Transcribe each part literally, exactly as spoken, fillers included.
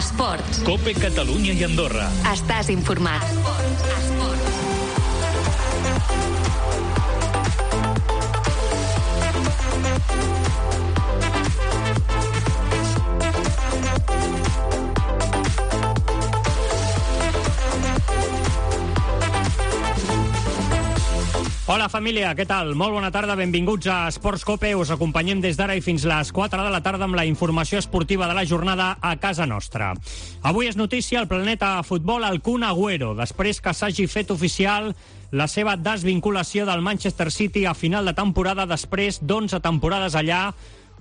Esports. COPE Catalunya i Andorra. Estàs informat. Esports. Esports. Hola família, què tal? Molt bona tarda, benvinguts a Esports COPE. Us acompanyem des d'ara i fins les quatre de la tarda amb la informació esportiva de la jornada a casa nostra. Avui és notícia al Planeta Futbol el Kun Agüero, després que s'hagi fet oficial la seva desvinculació del Manchester City a final de temporada després d'onze temporades allà,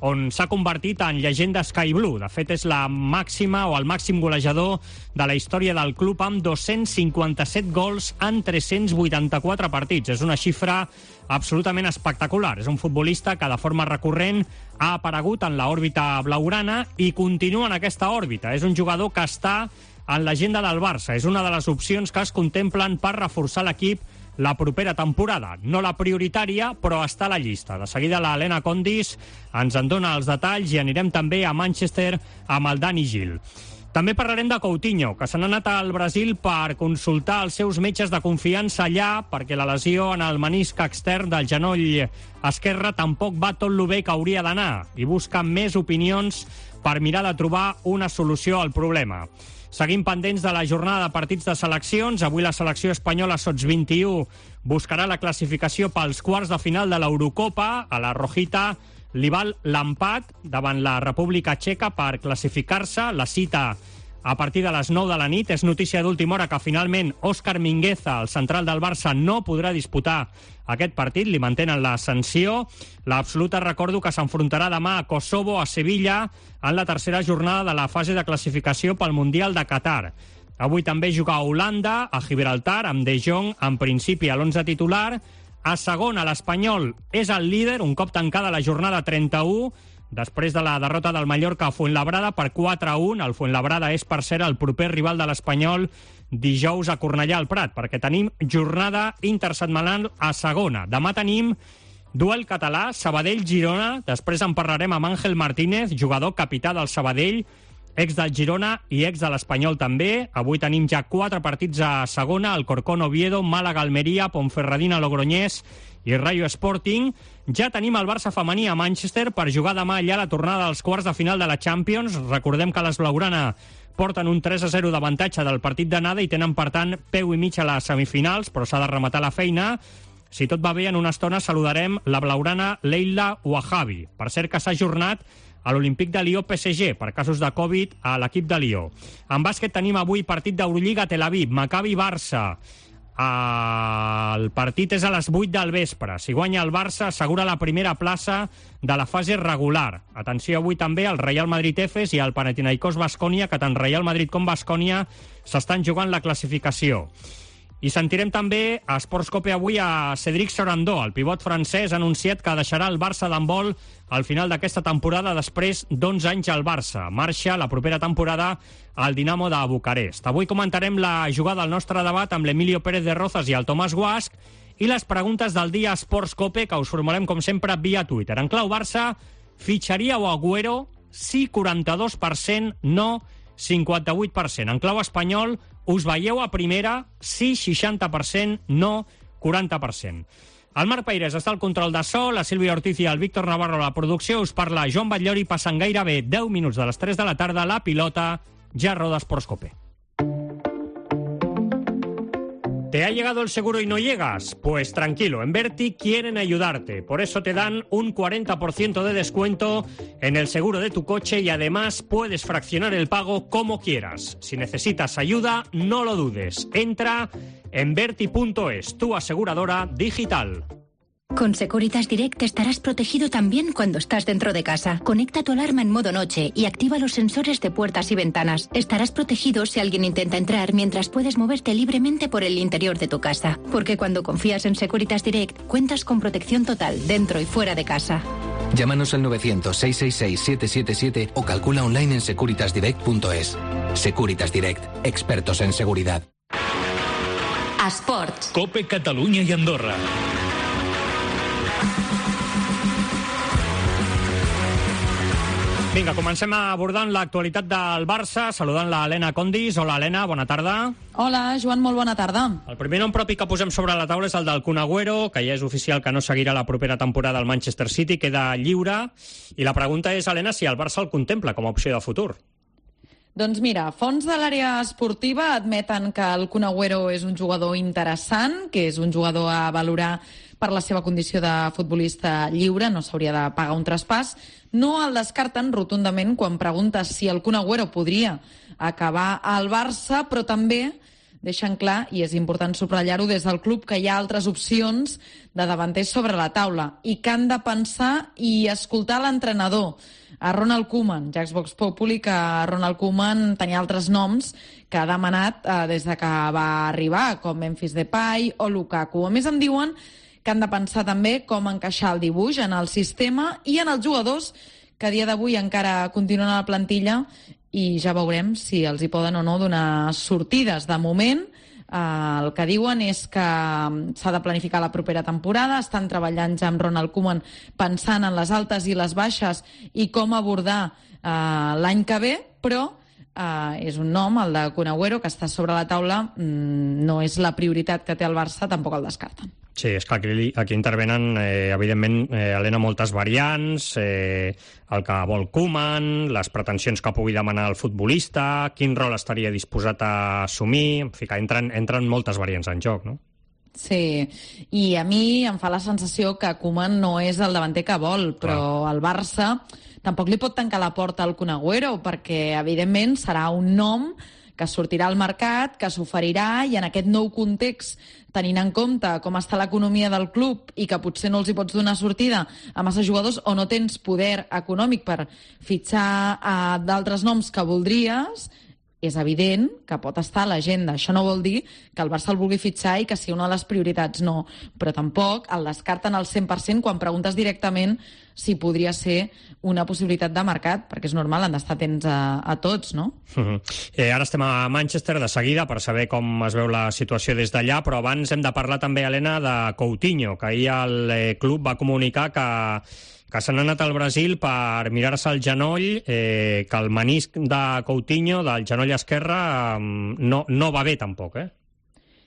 on s'ha convertit en llegenda Sky Blue. De fet, és la màxima o el màxim golejador de la història del club amb dos-cents cinquanta-set gols en tres-cents vuitanta-quatre partits. És una xifra absolutament espectacular. És un futbolista que de forma recurrent ha aparegut en l'òrbita blaugrana i continua en aquesta òrbita. És un jugador que està en l'agenda del Barça. És una de les opcions que es contemplen per reforçar l'equip la propera temporada. No la prioritària, però està a la llista. De seguida l'Helena Condis ens en dona els detalls i anirem també a Manchester amb el Dani Gil. També parlarem de Coutinho, que se n'ha anat al Brasil per consultar els seus metges de confiança allà, perquè la lesió en el menisc extern del genoll esquerre tampoc va tot lo bé que hauria d'anar i busca més opinions per mirar de trobar una solució al problema. Seguim pendents de la jornada de partits de seleccions. Avui la selecció espanyola sots vint-i-u buscarà la classificació pels quarts de final de l'Eurocopa. A la Rojita li val l'empat davant la República Txeca per classificar-se. La cita a partir de les nou de la nit. És notícia d'última hora que finalment Óscar Mingueza, el central del Barça, no podrà disputar aquest partit. Li mantenen la sanció. L'Absoluta, recordo que s'enfrontarà demà a Kosovo, a Sevilla, en la tercera jornada de la fase de classificació pel Mundial de Qatar. Avui també juga a Holanda, a Gibraltar, amb De Jong, en principi a l'onze titular. A segona, l'Espanyol és el líder, un cop tancada la jornada trenta-u, després de la derrota del Mallorca a Fuenlabrada per quatre a un. El Fuenlabrada és, per cert, el proper rival de l'Espanyol dijous a Cornellà al Prat, perquè tenim jornada intersetmanal a segona. Demà tenim duel català, Sabadell-Girona. Després en parlarem amb Àngel Martínez, jugador capità del Sabadell, ex del Girona i ex de l'Espanyol també. Avui tenim ja quatre partits a segona: Alcorcón-Oviedo, Màlaga-Almeria, Ponferradina-Logroñés i Rayo Sporting. Ja tenim el Barça femení a Manchester per jugar demà allà la tornada dels quarts de final de la Champions. Recordem que les blaugrana porten un tres a zero d'avantatge del partit d'anada i tenen, per tant, peu i mig a les semifinals, però s'ha de rematar la feina. Si tot va bé, en una estona saludarem la blaugrana Leila Ouahabi. Per cert, que s'ha ajornat a l'Olímpic de Lió P S G per casos de Covid a l'equip de Lió. En bàsquet tenim avui partit d'Eurolliga Tel Aviv, Maccabi-Barça. El partit és a les vuit del vespre. Si guanya el Barça, assegura la primera plaça de la fase regular. Atenció avui també al Real Madrid-Efes i al Panathinaikos Baskonia, que tant Real Madrid com Baskonia s'estan jugant la classificació. I sentirem també a Esports COPE avui a Cédric Sorandó. El pivot francès ha anunciat que deixarà el Barça d'handbol al final d'aquesta temporada després d'onze anys al Barça. Marxa la propera temporada al Dinamo de Bucarest. Avui comentarem la jugada al nostre debat amb l'Emilio Pérez de Rozas i el Tomàs Guasch i les preguntes del dia a Esports COPE, que us formulem com sempre via Twitter. En clau Barça, fitxaríeu Agüero? Sí, quaranta-dos per cent, no, cinquanta-vuit per cent. En clau espanyol, us veieu a primera? Sí, seixanta per cent, no, quaranta per cent. El Marc Peirés està al control de so, la Sílvia Ortiz i el Víctor Navarro a la producció. Us parla Joan Batllori. Passen gairebé deu minuts de les tres de la tarda. La pilota ja roda Esports COPE. ¿Te ha llegado el seguro y no llegas? Pues tranquilo, en Verti quieren ayudarte. Por eso te dan un cuarenta por ciento de descuento en el seguro de tu coche y además puedes fraccionar el pago como quieras. Si necesitas ayuda, no lo dudes. Entra en verti punto es, tu aseguradora digital. Con Securitas Direct estarás protegido también cuando estás dentro de casa. Conecta tu alarma en modo noche y activa los sensores de puertas y ventanas. Estarás protegido si alguien intenta entrar mientras puedes moverte libremente por el interior de tu casa. Porque cuando confías en Securitas Direct, cuentas con protección total dentro y fuera de casa. Llámanos al novecientos, seiscientos sesenta y seis, setecientos setenta y siete o calcula online en securitas direct punto es. Securitas Direct, expertos en seguridad. Esports. COPE Catalunya i Andorra. Vinga, comencem abordant l'actualitat del Barça, saludant l'Helena Condis. Hola, Helena, bona tarda. Hola, Joan, molt bona tarda. El primer nom propi que posem sobre la taula és el del Kun Agüero, que ja és oficial que no seguirà la propera temporada al Manchester City, queda lliure. I la pregunta és, Helena, si el Barça el contempla com a opció de futur. Doncs mira, fonts de l'àrea esportiva admeten que el Kun Agüero és un jugador interessant, que és un jugador a valorar per la seva condició de futbolista lliure, no s'hauria de pagar un traspàs. No el descarten rotundament quan pregunta si el Kun Agüero podria acabar al Barça, però també deixen clar, i és important subratllar-ho des del club, que hi ha altres opcions de davanters sobre la taula i que han de pensar i escoltar l'entrenador, a Ronald Koeman. Ja és Vox Populi que Ronald Koeman tenia altres noms que ha demanat eh, des de que va arribar, com Memphis Depay o Lukaku. A més, em diuen que han de pensar també com encaixar el dibuix en el sistema i en els jugadors que a dia d'avui encara continuen a la plantilla i ja veurem si els hi poden o no donar sortides. De moment, eh, el que diuen és que s'ha de planificar la propera temporada, estan treballant ja amb Ronald Koeman pensant en les altes i les baixes i com abordar eh, l'any que ve, però eh, és un nom, el de Kun Agüero, que està sobre la taula, mm, no és la prioritat que té el Barça, tampoc el descarten. Sí, és que aquí, aquí intervenen, eh, evidentment, eh, Helena, moltes variants, eh, el que vol Koeman, les pretensions que pugui demanar el futbolista, quin rol estaria disposat a assumir, en fi, que entren, entren moltes variants en joc, no? Sí, i a mi em fa la sensació que Koeman no és el davanter que vol, però el Barça tampoc li pot tancar la porta al Kun Agüero, perquè, evidentment, serà un nom que sortirà al mercat, que s'oferirà, i en aquest nou context, tenint en compte com està l'economia del club i que potser no els hi pots donar sortida a massa jugadors o no tens poder econòmic per fitxar a d'altres noms que voldries, és evident que pot estar a l'agenda. Això no vol dir que el Barça el vulgui fitxar i que sigui una de les prioritats, no. Però tampoc el descarten al cent per cent quan preguntes directament si podria ser una possibilitat de mercat, perquè és normal, han d'estar atents a, a tots, no? Uh-huh. eh, ara estem a Manchester de seguida per saber com es veu la situació des d'allà, però abans hem de parlar també, Helena, de Coutinho, que ahir el eh, club va comunicar que que se n'ha anat al Brasil per mirar-se el genoll, eh, que el menisc de Coutinho, del genoll esquerre, eh, no, no va bé tampoc, eh?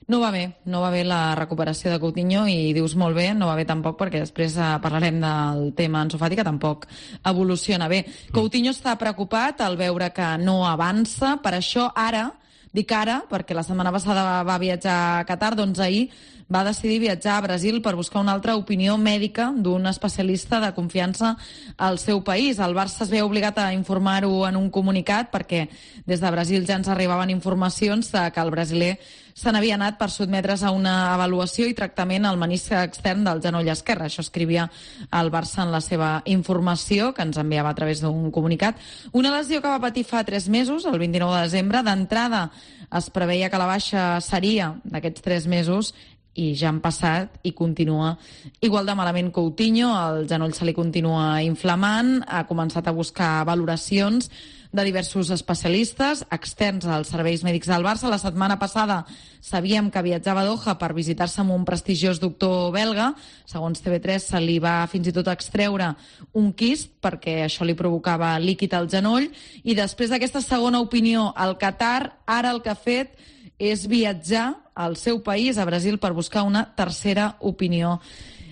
No va bé, no va bé la recuperació de Coutinho i dius molt bé, no va bé tampoc perquè després eh, parlarem del tema Ansu Fati, que tampoc evoluciona bé. Mm. Coutinho està preocupat al veure que no avança, per això ara, dic ara, perquè la setmana passada va viatjar a Qatar, doncs ahir va decidir viatjar a Brasil per buscar una altra opinió mèdica d'un especialista de confiança al seu país. El Barça es veu obligat a informar-ho en un comunicat perquè des de Brasil ja ens arribaven informacions de que el brasiler se n'havia anat per sotmetre's a una avaluació i tractament al menisc extern del genoll esquerre. Això escrivia el Barça en la seva informació, que ens enviava a través d'un comunicat. Una lesió que va patir fa tres mesos, el vint-i-nou de desembre. D'entrada es preveia que la baixa seria d'aquests tres mesos i ja han passat i continua igual de malament Coutinho, el genoll se li continua inflamant, ha començat a buscar valoracions de diversos especialistes externs als serveis mèdics del Barça. La setmana passada sabíem que viatjava a Doha per visitar-se amb un prestigiós doctor belga. Segons T V tres se li va fins i tot extreure un quist perquè això li provocava líquid al genoll, i després d'aquesta segona opinió al Qatar, ara el que ha fet és viatjar al seu país, a Brasil, per buscar una tercera opinió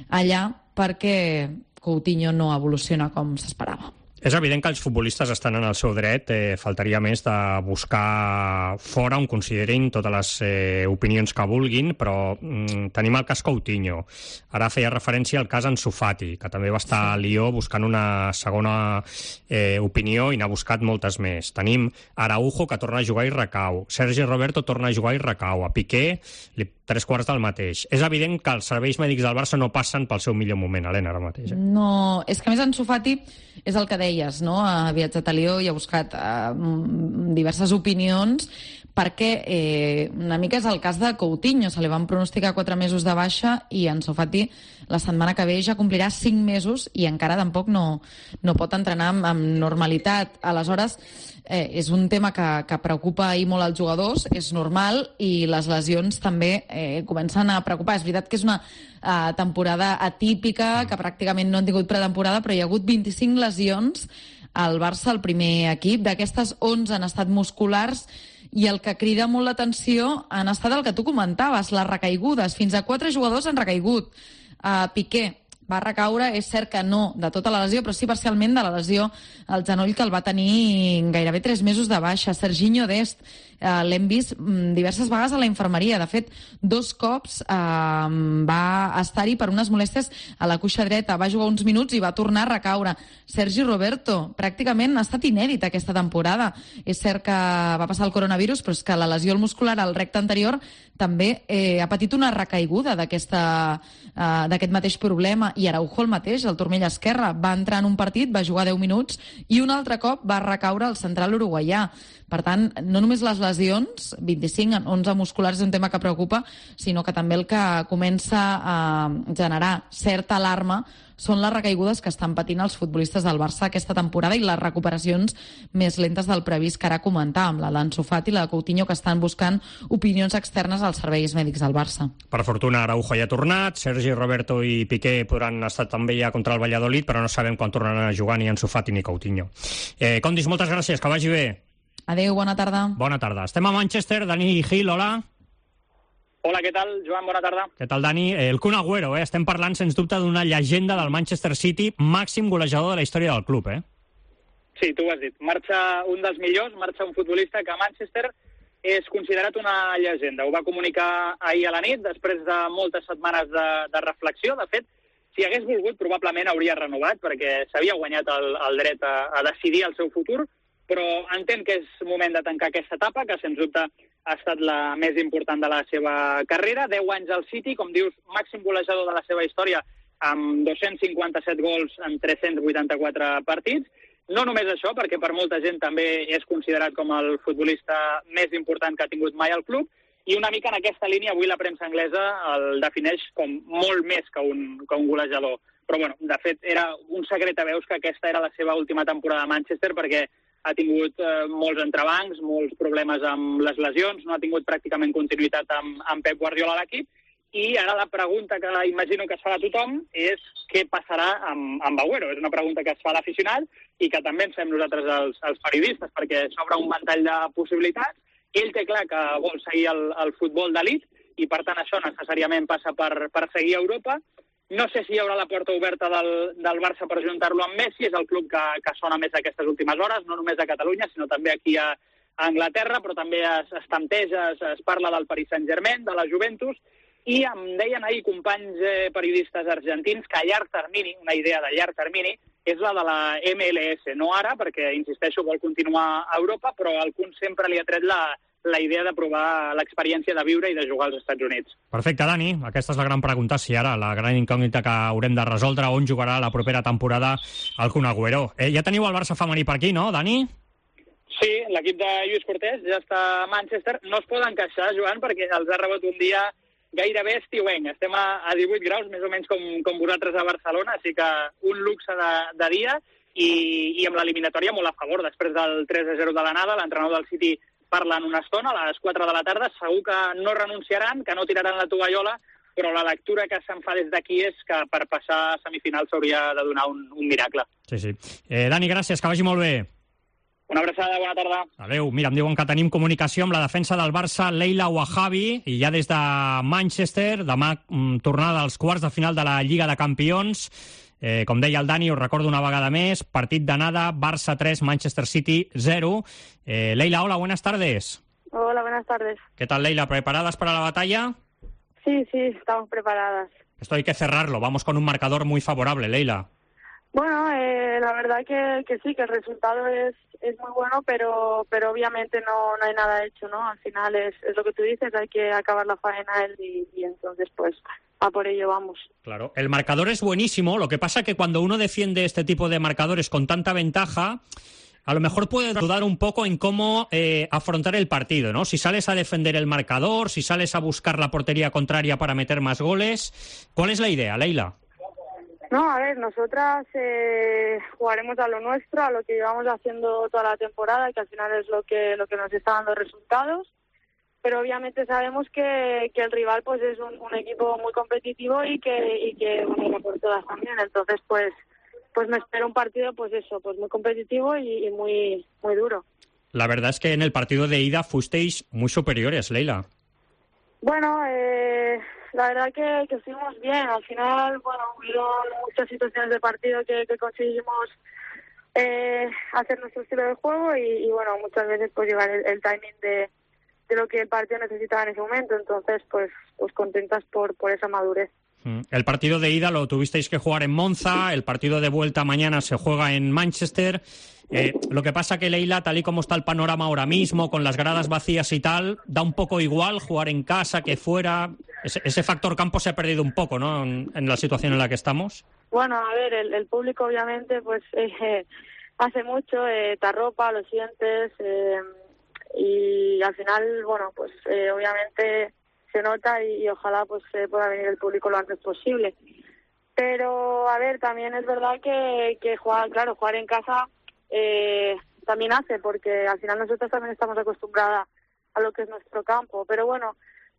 allà perquè Coutinho no evoluciona com s'esperava. És evident que els futbolistes estan en el seu dret, eh, faltaria més de buscar fora on considerin totes les eh, opinions que vulguin, però mm, tenim el cas Coutinho. Ara feia referència al cas Ansu Fati, que també va estar a Lió buscant una segona eh, opinió i n'ha buscat moltes més. Tenim Araujo, que torna a jugar i recau. Sergi Roberto torna a jugar i recau. A Piqué, li, tres quarts del mateix. És evident que els serveis mèdics del Barça no passen pel seu millor moment, Helena, ara mateix. Eh? No, és que a més Ansu Fati és el que deies, no? Ha viatjat a Lió i ha buscat eh, diverses opinions perquè eh, una mica és el cas de Coutinho, se li van pronosticar quatre mesos de baixa i Ansu Fati la setmana que ve ja complirà cinc mesos i encara tampoc no, no pot entrenar amb, amb normalitat. Aleshores, eh, és un tema que, que preocupa i molt als jugadors, és normal, i les lesions també eh, comencen a preocupar. És veritat que és una eh, temporada atípica, que pràcticament no han tingut pretemporada, però hi ha hagut vint-i-cinc lesions al Barça, el primer equip. D'aquestes onze han estat musculars i el que crida molt l'atenció han estat el que tu comentaves, les recaigudes. Fins a quatre jugadors han recaigut. Uh, Piqué va recaure, és cert que no de tota la lesió, però sí parcialment de la lesió al genoll que el va tenir gairebé tres mesos de baixa. Serginho Dest, eh, l'hem vist diverses vegades a la infermeria. De fet, dos cops eh, va estar-hi per unes molèsties a la cuixa dreta. Va jugar uns minuts i va tornar a recaure. Sergi Roberto, pràcticament ha estat inèdit aquesta temporada. És cert que va passar el coronavirus, però és que la lesió muscular al recte anterior també eh, ha patit una recaiguda d'aquesta eh, d'aquest mateix problema. I Araujo el mateix, el turmell esquerre, va entrar en un partit, va jugar deu minuts i un altre cop va recaure al central uruguaià. Per tant, no només les lesions, vint-i-cinc en onze musculars és un tema que preocupa, sinó que també el que comença a generar certa alarma són les recaigudes que estan patint els futbolistes del Barça aquesta temporada i les recuperacions més lentes del previst que ara comentàvem, la d'Ansu Fati i la de Coutinho, que estan buscant opinions externes als serveis mèdics del Barça. Per fortuna, Araujo ja ha tornat, Sergi Roberto i Piqué podran estar també ja contra el Valladolid, però no sabem quan tornaran a jugar ni Ansu Fati ni Coutinho. Eh, Condis, moltes gràcies, que vagi bé. Adéu, bona tarda. Bona tarda. Estem a Manchester, Dani Gil, hola. Hola, què tal, Joan? Bona tarda. Què tal, Dani? El Kun Agüero, eh? Estem parlant, sens dubte, d'una llegenda del Manchester City, màxim golejador de la història del club, eh? Sí, tu ho has dit. Marxa un dels millors, marxa un futbolista que a Manchester és considerat una llegenda. Ho va comunicar ahir a la nit, després de moltes setmanes de, de reflexió. De fet, si hagués volgut, probablement hauria renovat, perquè s'havia guanyat el, el dret a, a decidir el seu futur, però entén que és moment de tancar aquesta etapa, que sens dubte ha estat la més important de la seva carrera. deu anys al City, com dius, màxim golejador de la seva història, amb dos-cents cinquanta-set gols en tres-cents vuitanta-quatre partits. No només això, perquè per molta gent també és considerat com el futbolista més important que ha tingut mai al club, i una mica en aquesta línia avui la premsa anglesa el defineix com molt més que un, que un golejador. Però, bueno, de fet, era un secret a veus que aquesta era la seva última temporada a Manchester, perquè ha tingut eh, molts entrebancs, molts problemes amb les lesions, no ha tingut pràcticament continuïtat amb, amb Pep Guardiola a l'equip, i ara la pregunta que imagino que es farà tothom és què passarà amb, amb Agüero. És una pregunta que es fa l'aficionat i que també ens fem nosaltres els, els periodistes, perquè s'obre un ventall de possibilitats. Ell té clar que vol seguir el, el futbol d'elit i, per tant, això necessàriament passa per, per seguir a Europa. No sé si hi haurà la porta oberta del, del Barça per ajuntar-lo amb Messi, és el club que, que sona més aquestes últimes hores, no només a Catalunya, sinó també aquí a, a Anglaterra, però també es, es tanteja, es, es parla del Paris Saint-Germain, de la Juventus, i em deien ahir companys eh, periodistes argentins que a llarg termini, una idea de llarg termini, és la de la M L S, no ara, perquè, insisteixo, vol continuar a Europa, però al Kun sempre li ha tret la, la idea de provar l'experiència de viure i de jugar als Estats Units. Perfecte, Dani. Aquesta és la gran pregunta, si ara, la gran incògnita que haurem de resoldre, on jugarà la propera temporada el Kun Agüero. Eh, ja teniu el Barça femení per aquí, no, Dani? Sí, l'equip de Lluís Cortés ja està a Manchester. No es poden queixar, Joan, perquè els ha rebut un dia gairebé estiuenc. Estem a, a divuit graus, més o menys com, com vosaltres a Barcelona, així que un luxe de, de dia i, i amb l'eliminatòria molt a favor. Després del tres a zero de l'anada, l'entrenador del City parla en una estona, a les quatre de la tarda. Segur que no renunciaran, que no tiraran la tovallola, però la lectura que se'n fa des d'aquí és que per passar a semifinals s'hauria de donar un, un miracle. Sí, sí. Eh, Dani, gràcies, que vagi molt bé. Una abraçada, bona tarda. Adéu. Mira, em diuen que tenim comunicació amb la defensa del Barça, Leila Wahabi, i ja des de Manchester, demà tornada als quarts de final de la Lliga de Campions. Eh, com deia el Dani, us recordo una vegada més, partit d'anada, Barça tres, Manchester City cero. Eh, Leila, hola, buenas tardes. Hola, buenas tardes. ¿Qué tal, Leila? ¿Preparadas para la batalla? Sí, sí, estamos preparadas. Esto hay que cerrarlo, vamos con un marcador muy favorable, Leila. Bueno, eh, la verdad que, que sí, que el resultado es, es muy bueno, pero pero obviamente no, no hay nada hecho, ¿no? Al final es, es lo que tú dices, hay que acabar la faena y, y entonces pues a por ello vamos. Claro, el marcador es buenísimo, lo que pasa que cuando uno defiende este tipo de marcadores con tanta ventaja, a lo mejor puede dudar un poco en cómo eh, afrontar el partido, ¿no? Si sales a defender el marcador, si sales a buscar la portería contraria para meter más goles, ¿cuál es la idea, Leila? No, a ver, nosotras eh, jugaremos a lo nuestro, a lo que llevamos haciendo toda la temporada, que al final es lo que lo que nos está dando resultados, pero obviamente sabemos que, que el rival pues es un, un equipo muy competitivo y que y que bueno, por todas también, entonces pues pues me espera un partido, pues eso, pues muy competitivo y, y muy, muy duro. La verdad es que en el partido de ida fuisteis muy superiores, Leila. Bueno, eh, la verdad que, que estuvimos bien. Al final, bueno, hubo muchas situaciones de partido que, que conseguimos eh, hacer nuestro estilo de juego y, y bueno, muchas veces pues llevar el, el timing de, de lo que el partido necesitaba en ese momento. Entonces, pues, pues contentas por, por esa madurez. El partido de ida lo tuvisteis que jugar en Monza, el partido de vuelta mañana se juega en Manchester. Eh, lo que pasa que, Leila, tal y como está el panorama ahora mismo, con las gradas vacías y tal, da un poco igual jugar en casa que fuera. Ese, ese factor campo se ha perdido un poco, ¿no?, en, en la situación en la que estamos. Bueno, a ver, el, el público obviamente pues eh, hace mucho, eh, te arropa, lo sientes eh, y al final, bueno, pues eh, obviamente se nota y, y ojalá pues eh, pueda venir el público lo antes posible. Pero, a ver, también es verdad que, que jugar, claro, jugar en casa eh, también hace, porque al final nosotros también estamos acostumbradas a lo que es nuestro campo. Pero bueno,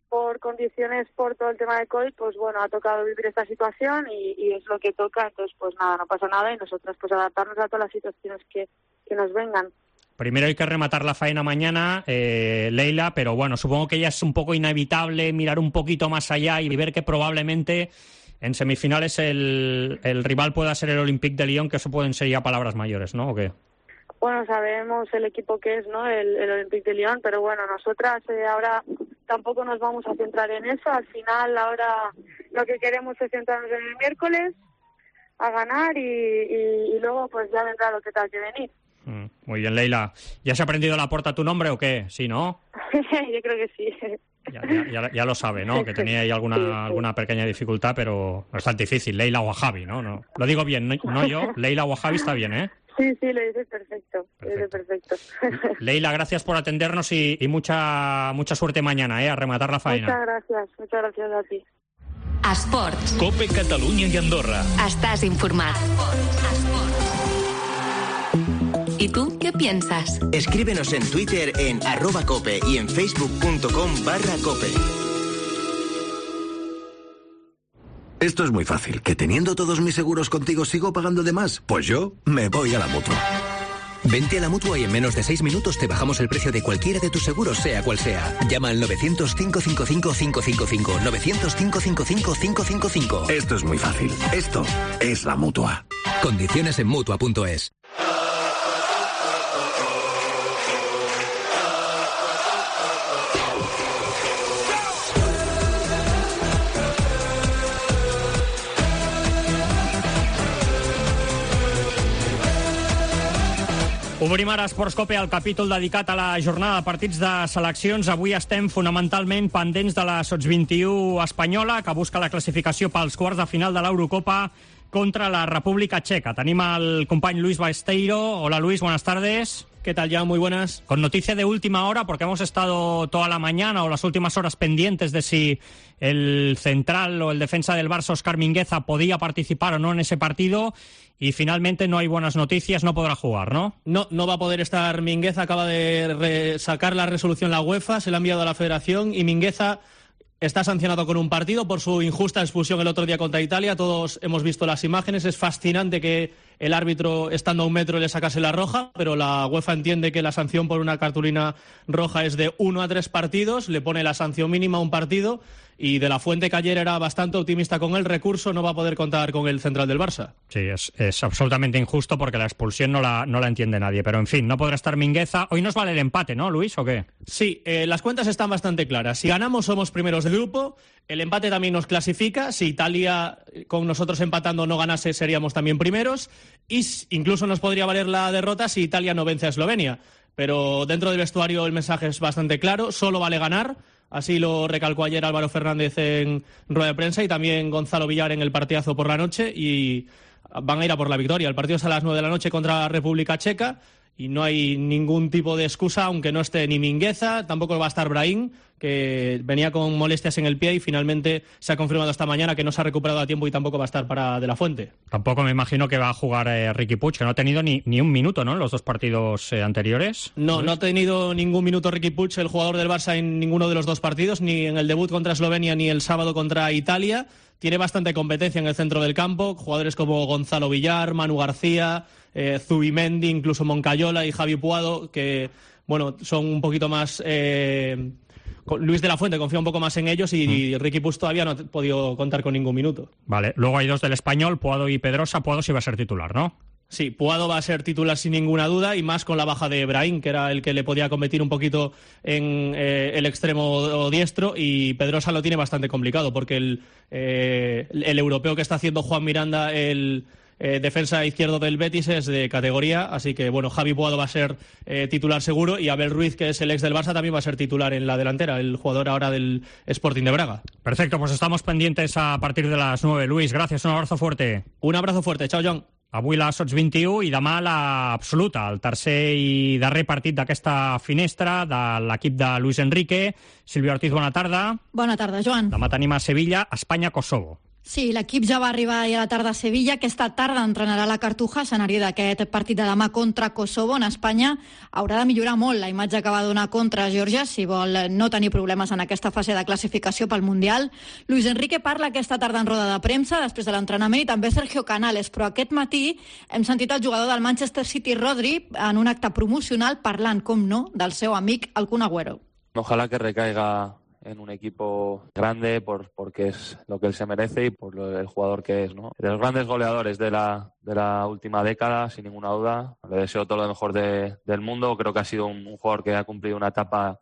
por condiciones, por todo el tema de COVID, pues bueno, ha tocado vivir esta situación y, y es lo que toca. Entonces, pues nada, no pasa nada y nosotros pues adaptarnos a todas las situaciones que, que nos vengan. Primero hay que rematar la faena mañana, eh, Leila, pero bueno, supongo que ya es un poco inevitable mirar un poquito más allá y ver que probablemente en semifinales el, el rival pueda ser el Olympique de Lyon, que eso pueden ser ya palabras mayores, ¿no? ¿O qué? Bueno, sabemos el equipo que es, ¿no?, el, el Olympique de Lyon, pero bueno, nosotras eh, ahora tampoco nos vamos a centrar en eso. Al final ahora lo que queremos es centrarnos en el miércoles, a ganar y, y, y luego pues ya vendrá lo que tenga que venir. Mm, muy bien, Leila. ¿Ya se ha aprendido Laporta tu nombre o qué? ¿Sí, no? Yo creo que sí. Ya, ya, ya, ya lo sabe, ¿no? Que tenía ahí alguna, sí, sí. alguna pequeña dificultad, pero no es tan difícil. Leila o Javi, ¿no? no Lo digo bien, no, no yo. Leila o Javi está bien, ¿eh? Sí, sí, lo dices perfecto. Lo dices perfecto. Leila, gracias por atendernos y, y mucha mucha suerte mañana, ¿eh? A rematar la faena. Muchas gracias, muchas gracias a ti. Esports. Cope Catalunya i Andorra. Estás informat. ¿Y tú qué piensas? Escríbenos en Twitter en arroba cope y en facebook.com barra cope. Esto es muy fácil. ¿Que teniendo todos mis seguros contigo sigo pagando de más? Pues yo me voy a la Mutua. Vente a la Mutua y en menos de seis minutos te bajamos el precio de cualquiera de tus seguros, sea cual sea. Llama al novecientos, cinco cinco cinco, cinco cinco cinco. novecientos, cinco cinco cinco, cinco cinco cinco. Esto es muy fácil. Esto es la Mutua. Condiciones en Mutua punto es. Obrim ara Esports Cope, el capítol dedicat a la jornada de partits de seleccions. Avui estem fonamentalment pendents de la Sots vint i u espanyola, que busca la classificació pels quarts de final de l'Eurocopa contra la República Checa. Tenim al company Luis Besteiro. Hola Luis, buenas tardes. ¿Qué tal ya? Muy buenas. Con noticia de última hora, porque hemos estado toda la mañana o las últimas horas pendientes de si el central o el defensa del Barça, Óscar Mingueza, podía participar o no en ese partido. Y finalmente no hay buenas noticias, no podrá jugar, ¿no? No, no va a poder estar Mingueza. Acaba de sacar la resolución la UEFA, se la ha enviado a la Federación y Mingueza está sancionado con un partido por su injusta expulsión el otro día contra Italia. Todos hemos visto las imágenes. Es fascinante que el árbitro, estando a un metro, le sacase la roja, pero la UEFA entiende que la sanción por una cartulina roja es de uno a tres partidos, le pone la sanción mínima a un partido, y De la Fuente, que ayer era bastante optimista con el recurso, no va a poder contar con el central del Barça. Sí, es, es absolutamente injusto porque la expulsión no la, no la entiende nadie, pero en fin, no podrá estar Mingueza. Hoy nos vale el empate, ¿no, Luis, o qué? Sí, eh, las cuentas están bastante claras. Si ganamos somos primeros del grupo, el empate también nos clasifica. Si Italia con nosotros empatando no ganase seríamos también primeros, y incluso nos podría valer la derrota si Italia no vence a Eslovenia. Pero dentro del vestuario el mensaje es bastante claro, solo vale ganar. Así lo recalcó ayer Álvaro Fernández en rueda de prensa y también Gonzalo Villar en el partidazo por la noche, y van a ir a por la victoria. El partido es a las nueve de la noche contra República Checa y no hay ningún tipo de excusa, aunque no esté ni Mingueza, tampoco va a estar Brahim, que venía con molestias en el pie y finalmente se ha confirmado esta mañana que no se ha recuperado a tiempo y tampoco va a estar para De La Fuente. Tampoco me imagino que va a jugar eh, Riqui Puig, que no ha tenido ni, ni un minuto, ¿no?, en los dos partidos eh, anteriores. No, no ha tenido ningún minuto Riqui Puig, el jugador del Barça, en ninguno de los dos partidos, ni en el debut contra Eslovenia ni el sábado contra Italia. Tiene bastante competencia en el centro del campo, jugadores como Gonzalo Villar, Manu García, eh, Zubimendi, incluso Moncayola y Javi Puado, que bueno, son un poquito más... Eh, Luis de la Fuente confía un poco más en ellos y, mm. y Riqui Puig todavía no ha podido contar con ningún minuto. Vale, luego hay dos del Español, Puado y Pedrosa. Puado sí va a ser titular, ¿no? Sí, Puado va a ser titular sin ninguna duda y más con la baja de Brahim, que era el que le podía competir un poquito en eh, el extremo diestro, y Pedrosa lo tiene bastante complicado porque el, eh, el europeo que está haciendo Juan Miranda, el... Eh, defensa izquierdo del Betis, es de categoría, así que bueno, Javi Puado va a ser eh, titular seguro, y Abel Ruiz, que es el ex del Barça, también va a ser titular en la delantera, el jugador ahora del Sporting de Braga. Perfecto, pues estamos pendientes a partir de las nueve. Luis, gracias, un abrazo fuerte. Un abrazo fuerte, chao, John. Avui la Sots vint-i-u i demà la Absoluta, el tercer i darrer partit d'aquesta finestra de l'equip de Luis Enrique. Sílvia Ortiz, bona tarda. Bona tarda, Joan. Demà tenim a Sevilla, Espanya-Kosovo. Sí, l'equip ja va arribar ahir a la tarda a Sevilla. Aquesta tarda entrenarà la Cartuja, escenari d'aquest partit de demà contra Kosovo, on Espanya haurà de millorar molt la imatge que va donar contra Geòrgia si vol no tenir problemes en aquesta fase de classificació pel Mundial. Luis Enrique parla aquesta tarda en roda de premsa després de l'entrenament, i també Sergio Canales, però aquest matí hem sentit el jugador del Manchester City, Rodri, en un acte promocional parlant, com no, del seu amic el Kun Agüero. Ojalá que recaiga en un equipo grande por, porque es lo que él se merece y por lo, el jugador que es, ¿no? De los grandes goleadores de la, de la última década, sin ninguna duda. Le deseo todo lo mejor de, del mundo. Creo que ha sido un, un jugador que ha cumplido una etapa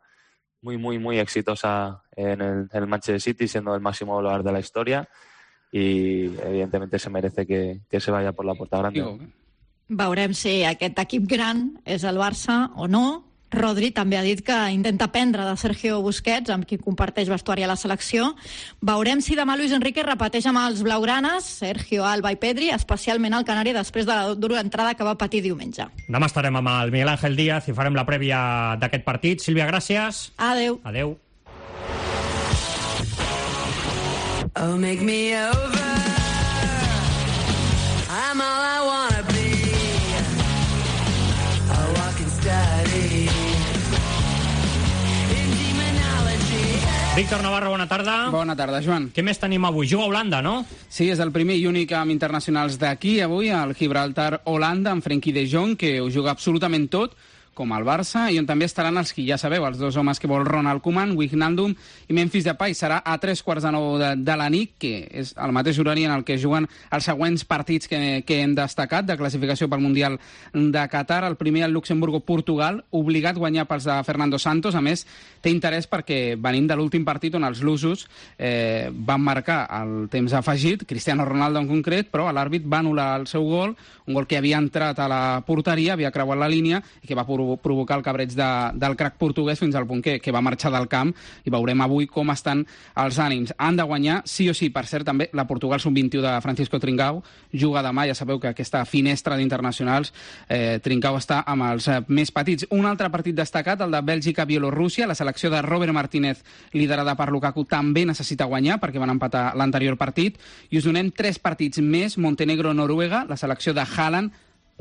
muy, muy, muy exitosa en el, en el Manchester City, siendo el máximo goleador de la historia, y evidentemente se merece que, que se vaya por la puerta grande. Veurem si aquest equip gran és el Barça o no. Rodri també ha dit que intenta aprendre de Sergio Busquets, amb qui comparteix vestuari a la selecció. Veurem si demà Luis Enrique repeteix amb els blaugranes, Sergio, Alba i Pedri, especialment al Canari després de la dura entrada que va patir diumenge. Demà estarem amb el Miguel Ángel Díaz i farem la prèvia d'aquest partit. Sílvia, gràcies. Adeu. Adeu. Oh, make me over. I'm all I wanna be. A walking study. Víctor Navarro, bona tarda. Bona tarda, Joan. Què més tenim avui? Juga Holanda, no? Sí, és el primer i únic amb internacionals d'aquí avui, al Gibraltar-Holanda, amb Frenkie de Jong, que ho juga absolutament tot, com el Barça, i on també estaran els que ja sabeu, els dos homes que vol Ronald Koeman, Wijnaldum i Memphis Depay. Serà a tres quarts de nou de, de la nit, que és el mateix horari en el que juguen els següents partits que, que hem destacat de classificació pel Mundial de Qatar. El primer, el Luxemburgo-Portugal, obligat a guanyar pels de Fernando Santos. A més, té interès perquè venim de l'últim partit on els lusos eh, van marcar el temps afegit, Cristiano Ronaldo en concret, però l'àrbit va anul·lar el seu gol, un gol que havia entrat a la porteria, havia creuat la línia i que va provocar el cabreig de, del crac portuguès fins al punt que, que va marxar del camp, i veurem avui com estan els ànims. Han de guanyar sí o sí. Per cert, també la Portugal sub vint-i-u de Francisco Trincao juga demà. Ja sabeu que aquesta finestra d'internacionals, eh, Trincao està amb els eh, més petits. Un altre partit destacat, el de Bèlgica-Bielorússia. La selecció de Robert Martínez, liderada per Lukaku, també necessita guanyar perquè van empatar l'anterior partit. I us donem tres partits més. Montenegro-Noruega, la selecció de Haaland,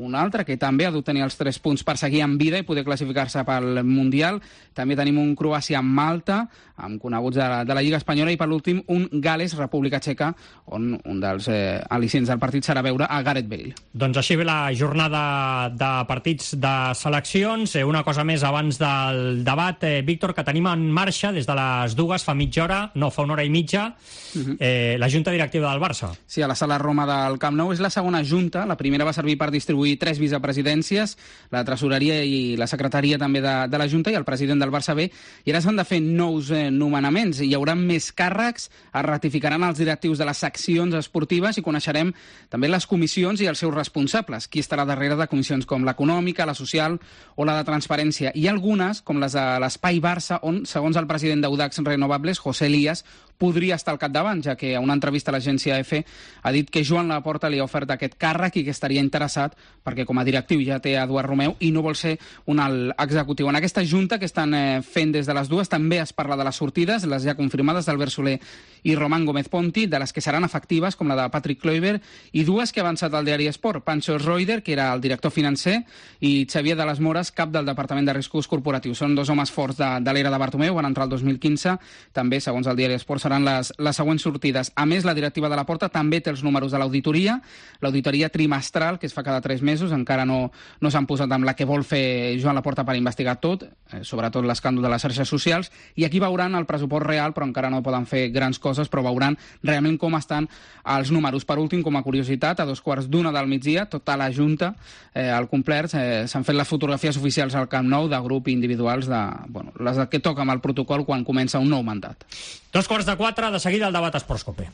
un altre que també ha d'obtenir els tres punts per seguir en vida i poder classificar-se pel Mundial. També tenim un Croàcia-Malta, amb coneguts de la, de la Lliga Espanyola, i per l'últim un Gales-República Txeca, on un dels eh, al·licients del partit serà veure a Gareth Bale. Doncs així ve la jornada de partits de seleccions. Eh, una cosa més abans del debat, eh, Víctor, que tenim en marxa des de les dues, fa mitja hora, no, fa una hora i mitja, uh-huh. eh, la Junta Directiva del Barça. Sí, a la Sala Roma del Camp Nou. És la segona junta. La primera va servir per distribuir tres vicepresidències, la tresoreria i la secretaria també de, de la Junta, i el president del Barça B, i ara s'han de fer nous eh, nomenaments. Hi haurà més càrrecs, es ratificaran els directius de les seccions esportives i coneixerem també les comissions i els seus responsables, qui estarà darrere de comissions com l'econòmica, la social o la de transparència. Hi ha algunes, com les de l'Espai Barça, on, segons el president d'Audax Renovables, José Elías, podria estar al capdavant, ja que a una entrevista a l'agència E F ha dit que Joan Laporta li ha ofert aquest càrrec i que estaria interessat perquè com a directiu ja té Eduard Romeu i no vol ser un alt executiu. En aquesta junta que estan eh, fent des de les dues també es parla de les sortides, les ja confirmades d'Albert Soler i Román Gómez Ponti, de les que seran efectives, com la de Patrick Kluivert, i dues que ha avançat al diari Esport, Pancho Reuter, que era el director financer, i Xavier de les Mores, cap del Departament de Riscos Corporatius. Són dos homes forts de, de l'era de Bartomeu, van entrar el dos mil quinze, també, segons el diari Esport, seran les, les següents sortides. A més, la directiva de la Porta també té els números de l'auditoria, l'auditoria trimestral, que es fa cada tres mesos, encara no, no s'han posat amb la que vol fer Joan Laporta per investigar tot, eh, sobretot l'escàndol de les xarxes socials, i aquí veuran el pressupost real, però encara no poden fer grans coses, però veuran realment com estan els números. Per últim, com a curiositat, a dos quarts d'una del migdia, tota la Junta, eh, al complet, eh, s'han fet les fotografies oficials al Camp Nou de grup i individuals, de, bueno, les que toca amb el protocol quan comença un nou mandat. Dos quarts de quatre, de seguida el debat Esports Cope.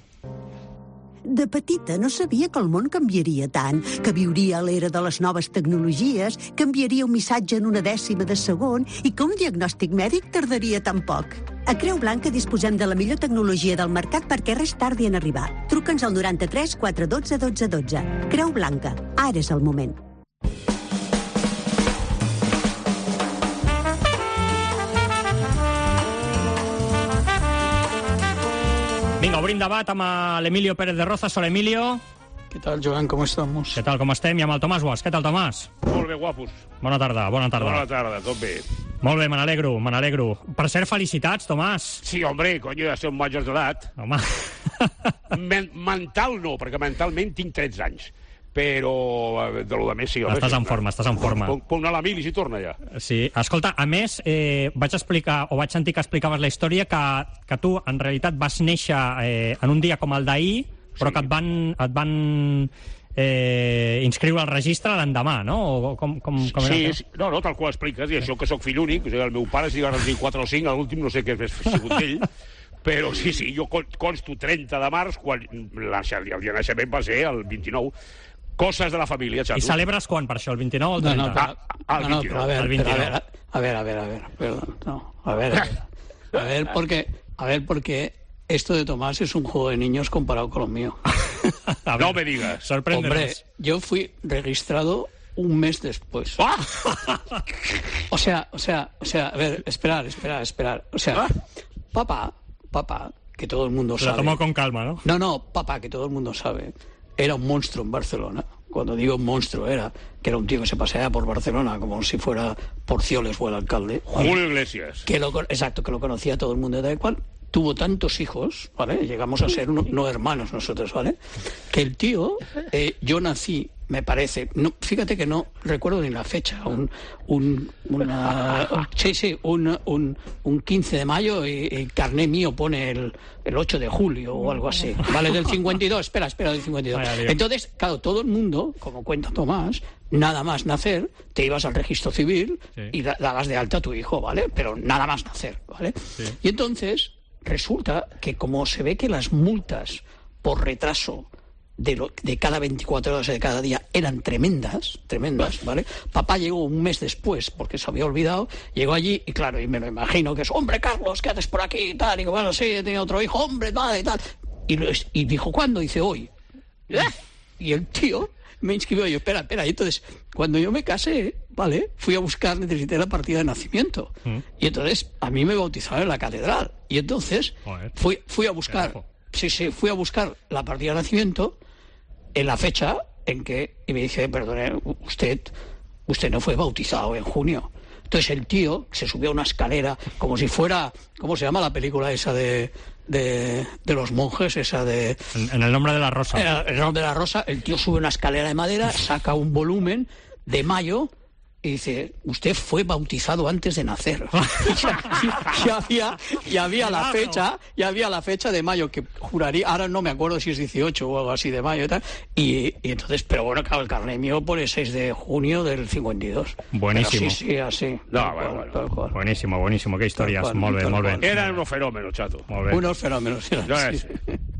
De petita no sabia que el món canviaria tant, que viuria a l'era de les noves tecnologies, que enviaria un missatge en una dècima de segon i que un diagnòstic mèdic tardaria tan poc. A Creu Blanca disposem de la millor tecnologia del mercat perquè res tardi en arribar. Truca'ns al noranta-tres quatre dotze dotze dotze. Creu Blanca, ara és el moment. Vinga, obrim debat amb l'Emilio Pérez de Rozas. Hola, Emilio. ¿Qué tal, Joan? ¿Cómo estamos? Què tal, com estem? I amb el Tomàs Guas. Què tal, Tomàs? Molt bé, guapos. Bona tarda, bona tarda. Bona tarda, tot bé. Molt bé, me n'alegro, me n'alegro. Per cert, felicitats, Tomàs. Sí, hombre, coño, ja ser un major d'edat. Home. Men mental no, perquè mentalment tinc tretze anys. Però de lo de més sí. Estàs en forma, estàs en forma. Pon anar a la mili si torna ja. Sí, escolta, a més, eh, vaig explicar, o vaig sentir que explicaves la història que, que tu, en realitat, vas néixer eh, en un dia com el d'ahir, però sí. que et van, et van eh, inscriure al registre l'endemà, no? O com, com, com sí, era? sí, no, no, tal qual expliques, i això que sóc fill únic, o sigui, el meu pare si va dir quatre o cinc, l'últim no sé què és sigut d'ell, però sí, sí, jo consto trenta de març, quan el dia de naixement va ser el vint-i-nou. Coses de la família, xato. I celebres quan, per això, el vint-i-nou o el trenta? No, no, pero, ah, no, no, pero a ver, el vint-i-nou. Pero a ver, a ver, a ver, a ver, perdón, no, a ver, a ver, a ver, porque, a ver, porque esto de Tomás es un juego de niños comparado con lo mío. Ver, no me digas. Sorpréndenos. Hombre, yo fui registrado un mes después. O sea, o sea, o sea, a ver, esperar, esperar, esperar. O sea, papá, papá, que todo el mundo sabe. Lo tomó con calma, ¿no? No, no, papá, que todo el mundo sabe. Era un monstruo en Barcelona. Cuando digo monstruo, era que era un tío que se paseaba por Barcelona como si fuera Porcioles o el alcalde. Julio Iglesias. Que lo, exacto, que lo conocía todo el mundo, tal cual. Tuvo tantos hijos, ¿vale? Llegamos a ser uno, no hermanos nosotros, ¿vale? Que el tío, eh, yo nací, me parece, no, fíjate que no recuerdo ni la fecha, un, un, una, sí, sí, un, un, un quince de mayo y el carné mío pone el, el ocho de julio o algo así, ¿vale? Del cincuenta y dos, espera, espera, del cincuenta y dos. Entonces, claro, todo el mundo, como cuenta Tomás, nada más nacer, te ibas al registro civil sí. y dabas de alta a tu hijo, ¿vale? Pero nada más nacer, ¿vale? Sí. Y entonces resulta que como se ve que las multas por retraso de, lo, de cada veinticuatro horas de cada día eran tremendas, tremendas, ¿vale? Papá llegó un mes después porque se había olvidado, llegó allí y claro, y me lo imagino que es, hombre, Carlos, ¿qué haces por aquí? Y tal, y bueno, sí, tenía otro hijo, hombre, tal, y tal. Y, y dijo, ¿cuándo? Dice, hoy. Y el tío me inscribió, y yo, espera, espera, y entonces, cuando yo me casé, ¿vale? Fui a buscar, necesité la partida de nacimiento. Mm. Y entonces, a mí me bautizaron en la catedral. Y entonces, fui, fui a buscar, sí, sí, fui a buscar la partida de nacimiento en la fecha en que, y me dice, perdone, usted, usted no fue bautizado en junio. Entonces el tío se subió a una escalera como si fuera, ¿cómo se llama la película esa de, de, de los monjes? Esa de... En, en el nombre de la rosa. En el nombre de la rosa, el tío sube una escalera de madera, saca un volumen de mayo y dice, usted fue bautizado antes de nacer. y, ya, y había, y había la fecha, y había la fecha de mayo, que juraría, ahora no me acuerdo si es dieciocho o algo así de mayo y tal, y, y entonces, pero bueno, claro, el carnet mío pone seis de junio del cincuenta y dos. Buenísimo. Pero sí, sí, así. No, bueno, bueno. Tal cual. Buenísimo, buenísimo, qué historias, cual, molt bé, molt bé. Eran unos fenómenos, chato. Unos fenómenos, eran, no sí.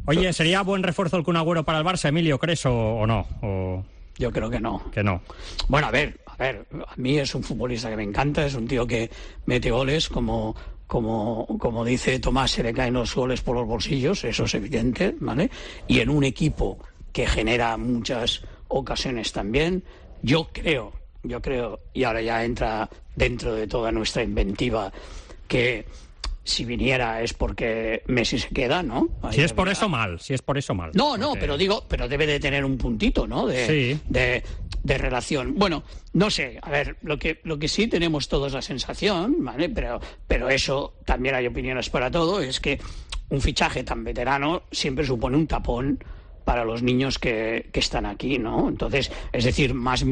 Oye, ¿sería buen refuerzo el Kun Agüero para el Barça, Emilio, crees, o, o no? O... Yo creo que no. Que no. Bueno, a ver, ver, a mí es un futbolista que me encanta, es un tío que mete goles como... Como, como dice Tomás, se le caen los goles por los bolsillos, eso es evidente, ¿vale? Y en un equipo que genera muchas ocasiones también, yo creo, yo creo, y ahora ya entra dentro de toda nuestra inventiva, que si viniera es porque Messi se queda, ¿no? Ahí si es por debería... eso mal, si es por eso mal. No, no, porque... pero digo, pero debe de tener un puntito, ¿no? De, sí. de, de relación. Bueno, no sé, a ver, lo que, lo que sí tenemos todos la sensación, ¿vale? Pero, pero eso, también hay opiniones para todo, es que un fichaje tan veterano siempre supone un tapón para los niños que, que están aquí, ¿no? Entonces, es decir, más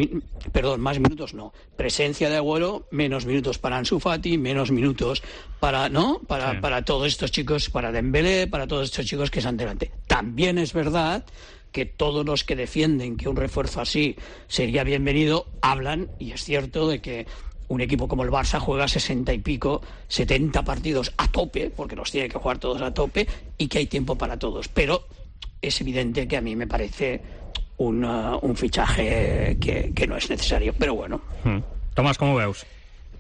perdón, más minutos no. Presencia de Agüero, menos minutos para Ansu Fati, menos minutos para, ¿no? Para, sí. para todos estos chicos, para Dembélé, para todos estos chicos que están delante. También es verdad que todos los que defienden que un refuerzo así sería bienvenido hablan, y es cierto, de que un equipo como el Barça juega sesenta y pico, setenta partidos a tope, porque los tiene que jugar todos a tope, y que hay tiempo para todos. Pero es evidente que a mí me parece un, uh, un fichaje que, que no és necessari, però bueno. Mm. Tomàs, com ho veus?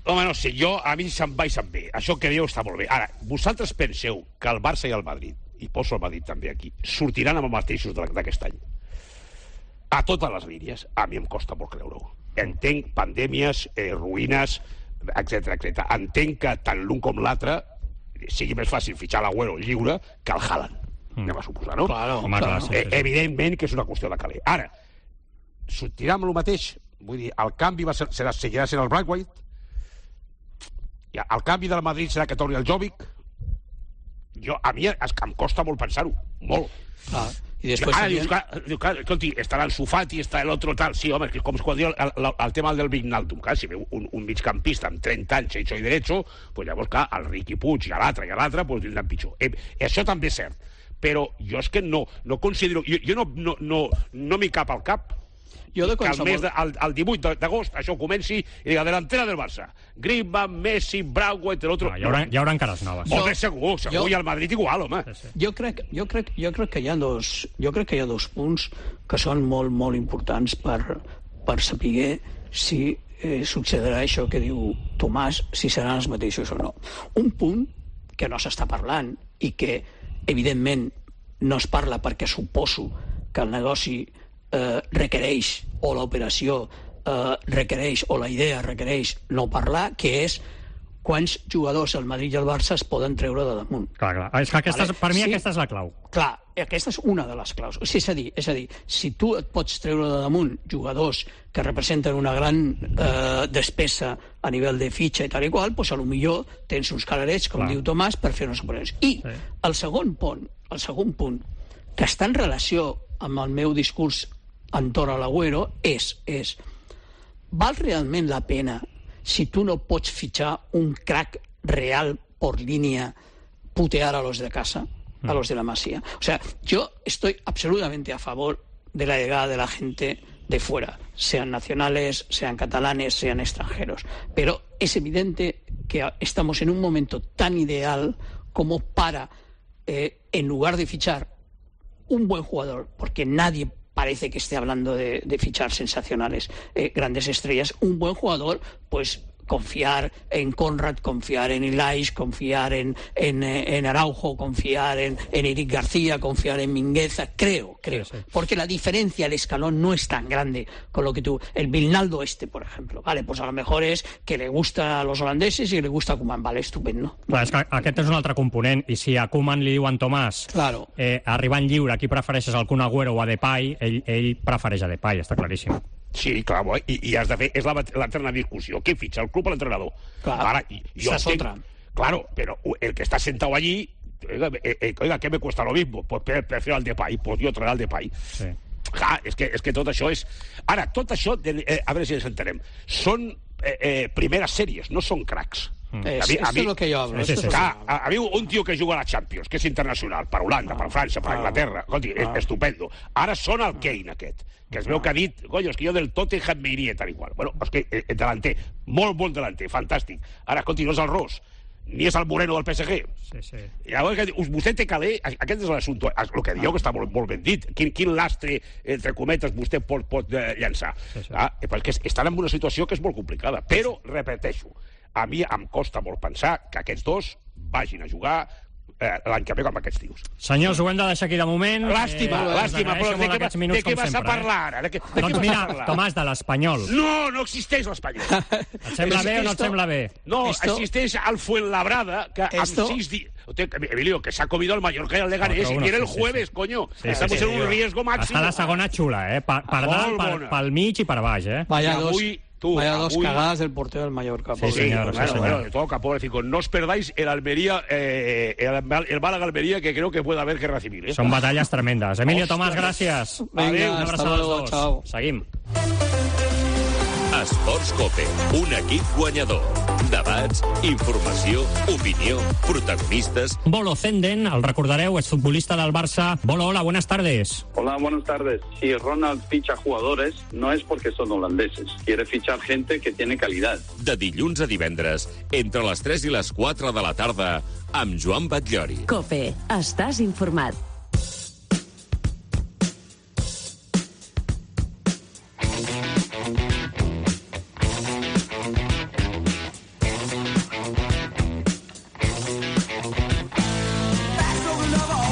Home, no sé, jo, a mi se'm va i se'm ve. Això que dieu està molt bé. Ara, vosaltres penseu que el Barça i el Madrid, i poso el Madrid també aquí, sortiran amb els mateixos d'aquest any? A totes les línies, a mi em costa molt creure-ho. Entenc pandèmies, eh, ruïnes, etcètera, etcètera. Entenc que tant l'un com l'altre sigui més fàcil fitxar l'Agüero lliure que el Haaland. Anem a suposar, no? Claro, Home, clar, sí, sí, sí. Evidentment que és una qüestió de caler. Ara, sortirà amb el mateix? Vull dir, el canvi va ser, serà, seguirà sent el Braithwaite? Ja, el canvi del Madrid serà que torni el Jovic? Jo, a mi es, em costa molt pensar-ho, molt. Ah, i després... Ara dius, clar, dius, clar, escolti, estarà el Sufati, està l'altre tal... Sí, home, com es quan diu el, el, el tema del Vignaldum, clar, si veu un, un migcampista amb trenta anys, hecho i derecho, pues llavors, clar, el Riqui Puig i l'altre i l'altre, pues tindran pitjor. Eh, això també és cert. Però jo és que no, no considero... Jo, jo no, no, no, no m'hi cap al cap jo de que el, mes de, el, el divuit d'agost això comenci i diga delantera del Barça. Griezmann, Messi, Braithwaite, l'altre... No, hi, haurà, hi haurà cares noves. Molt bé, segur, segur, jo, i el Madrid igual, home. Sí, sí. Jo, crec, jo, crec, jo, crec que hi ha dos, jo crec que hi ha dos punts que són molt, molt importants per, per saber si eh, succedirà això que diu Tomàs, si seran els mateixos o no. Un punt que no s'està parlant i que evidentment no es parla perquè suposo que el negoci eh, requereix o l'operació eh, requereix o la idea requereix no parlar, que és quants jugadors el Madrid i el Barça es poden treure de damunt. Clar, clar. És que aquesta, vale? Per mi sí, aquesta és la clau. Clar, aquesta és una de les claus. Sí, és a dir, és a dir, si tu et pots treure de damunt jugadors que representen una gran eh, despesa a nivell de fitxa i tal i qual, doncs a lo millor tens uns calarets, com clar. Diu Tomàs, per fer unes operacions. I sí. el segon punt, el segon punt, que està en relació amb el meu discurs entorn a l'Agüero, és, és val realment la pena si tu no pots fitxar un crack real por línea, putear a los de casa, a los de la Masía? O sea, yo estoy absolutamente a favor de la llegada de la gente de fuera, sean nacionales, sean catalanes, sean extranjeros. Pero es evidente que estamos en un momento tan ideal como para, eh, en lugar de fichar un buen jugador, porque nadie parece que esté hablando de, de fichar sensacionales, eh, grandes estrellas, un buen jugador, pues confiar en Conrad, confiar en Ilaish, confiar en, en, en Araujo, confiar en, en Eric García, confiar en Mingueza, creo, creo, sí, sí. Porque la diferencia, el escalón no es tan grande con lo que tú, el Wijnaldum este, por ejemplo, vale, pues a lo mejor es que le gusta a los holandeses y le gusta a Koeman, vale, estupendo. Clar, és que aquest és un altre component, i si a Koeman li diuen Tomàs, claro. eh, arribant lliure, aquí prefereixes el Kun Agüero o a Depay, ell, ell prefereix a Depay, està claríssim. Sí, clar, i, i has de fer, és l'eterna discussió. Qui fitxa, el club o l'entrenador? Clar, Ara, i, jo esa es otra. Claro, pero el que está sentado allí, oiga, eh, oiga ¿qué me cuesta lo mismo? Pues prefiero al Depay, pues jo traeré al Depay. Sí. Clar, és que, és que tot això és... Ara, tot això, de, eh, a veure si ens entenem, són eh, eh, primeres sèries, no són cracs. Mm. Es, a mi, a mi, esto es lo que yo hablo. Sí, sí, sí. Clar, a, a mi un tio que juga a la Champions, que és internacional, per Holanda, ah, per França, per ah, Anglaterra, escolti, ah. és estupendo. Ara són el Kane aquest, que es veu que ha dit, coño, és que jo del Tottenham me iria tal igual. Bueno, és que eh, delanter, molt bon delanter, fantàstic. Ara, escolti, no és el Ross. ni és el Moreno del P S G. Sí, sí. Llavors, vostè té caler, aquest és l'assumpte, el que diu que està molt, molt ben dit, quin, quin lastre, entre cometes, vostè pot, pot eh, llançar. Sí, sí. Ah, perquè estan en una situació que és molt complicada, però, repeteixo, a mi em costa molt pensar que aquests dos vagin a jugar eh, l'any que ve amb aquests tios. Senyors, ho hem de deixar aquí de moment. Làstima, eh, làstima, però de què, va, minuts, de què vas sempre, a parlar ara? De què, de doncs què mira, vas a parlar? Tomàs, de l'Espanyol. No, no existeix l'Espanyol. Et sembla bé o no et sembla bé? No, Esto... existeix el Fuenlabrada, que Esto... amb sis dies... Emilio, que s'ha comido el Mallorca y el Leganés, y viene el jueves, sí, sí. coño. Sí, Estamos sí, sí, en un riesgo máximo. Està la segona xula, eh? Per, per dalt, per, pel mig i per baix, eh? Vaya dos, avui, tu, vaya dos avui... cagadas del portero del Mallorca. Sí, señor, bueno, sí, señor. bueno, toca, pobrecito. No os perdáis el Almería, eh, el, el Málaga-Almería, que creo que puede haver guerra civil. Eh? Són batalles tremendes. Emilio, Tomàs, gràcies. Venga, una abraçada als dos. Chao. Seguim. Esports Cope, un equip guanyador. Debats, informació, opinió, protagonistes... Bolo Zenden, el recordareu, és futbolista del Barça. Bolo, hola, buenas tardes. Hola, buenas tardes. Si Ronald ficha jugadores, no es porque son holandeses. Quiere fichar gente que tiene calidad. De dilluns a divendres, entre les tres i les quatre de la tarda, amb Joan Batllori. Cope, estàs informat.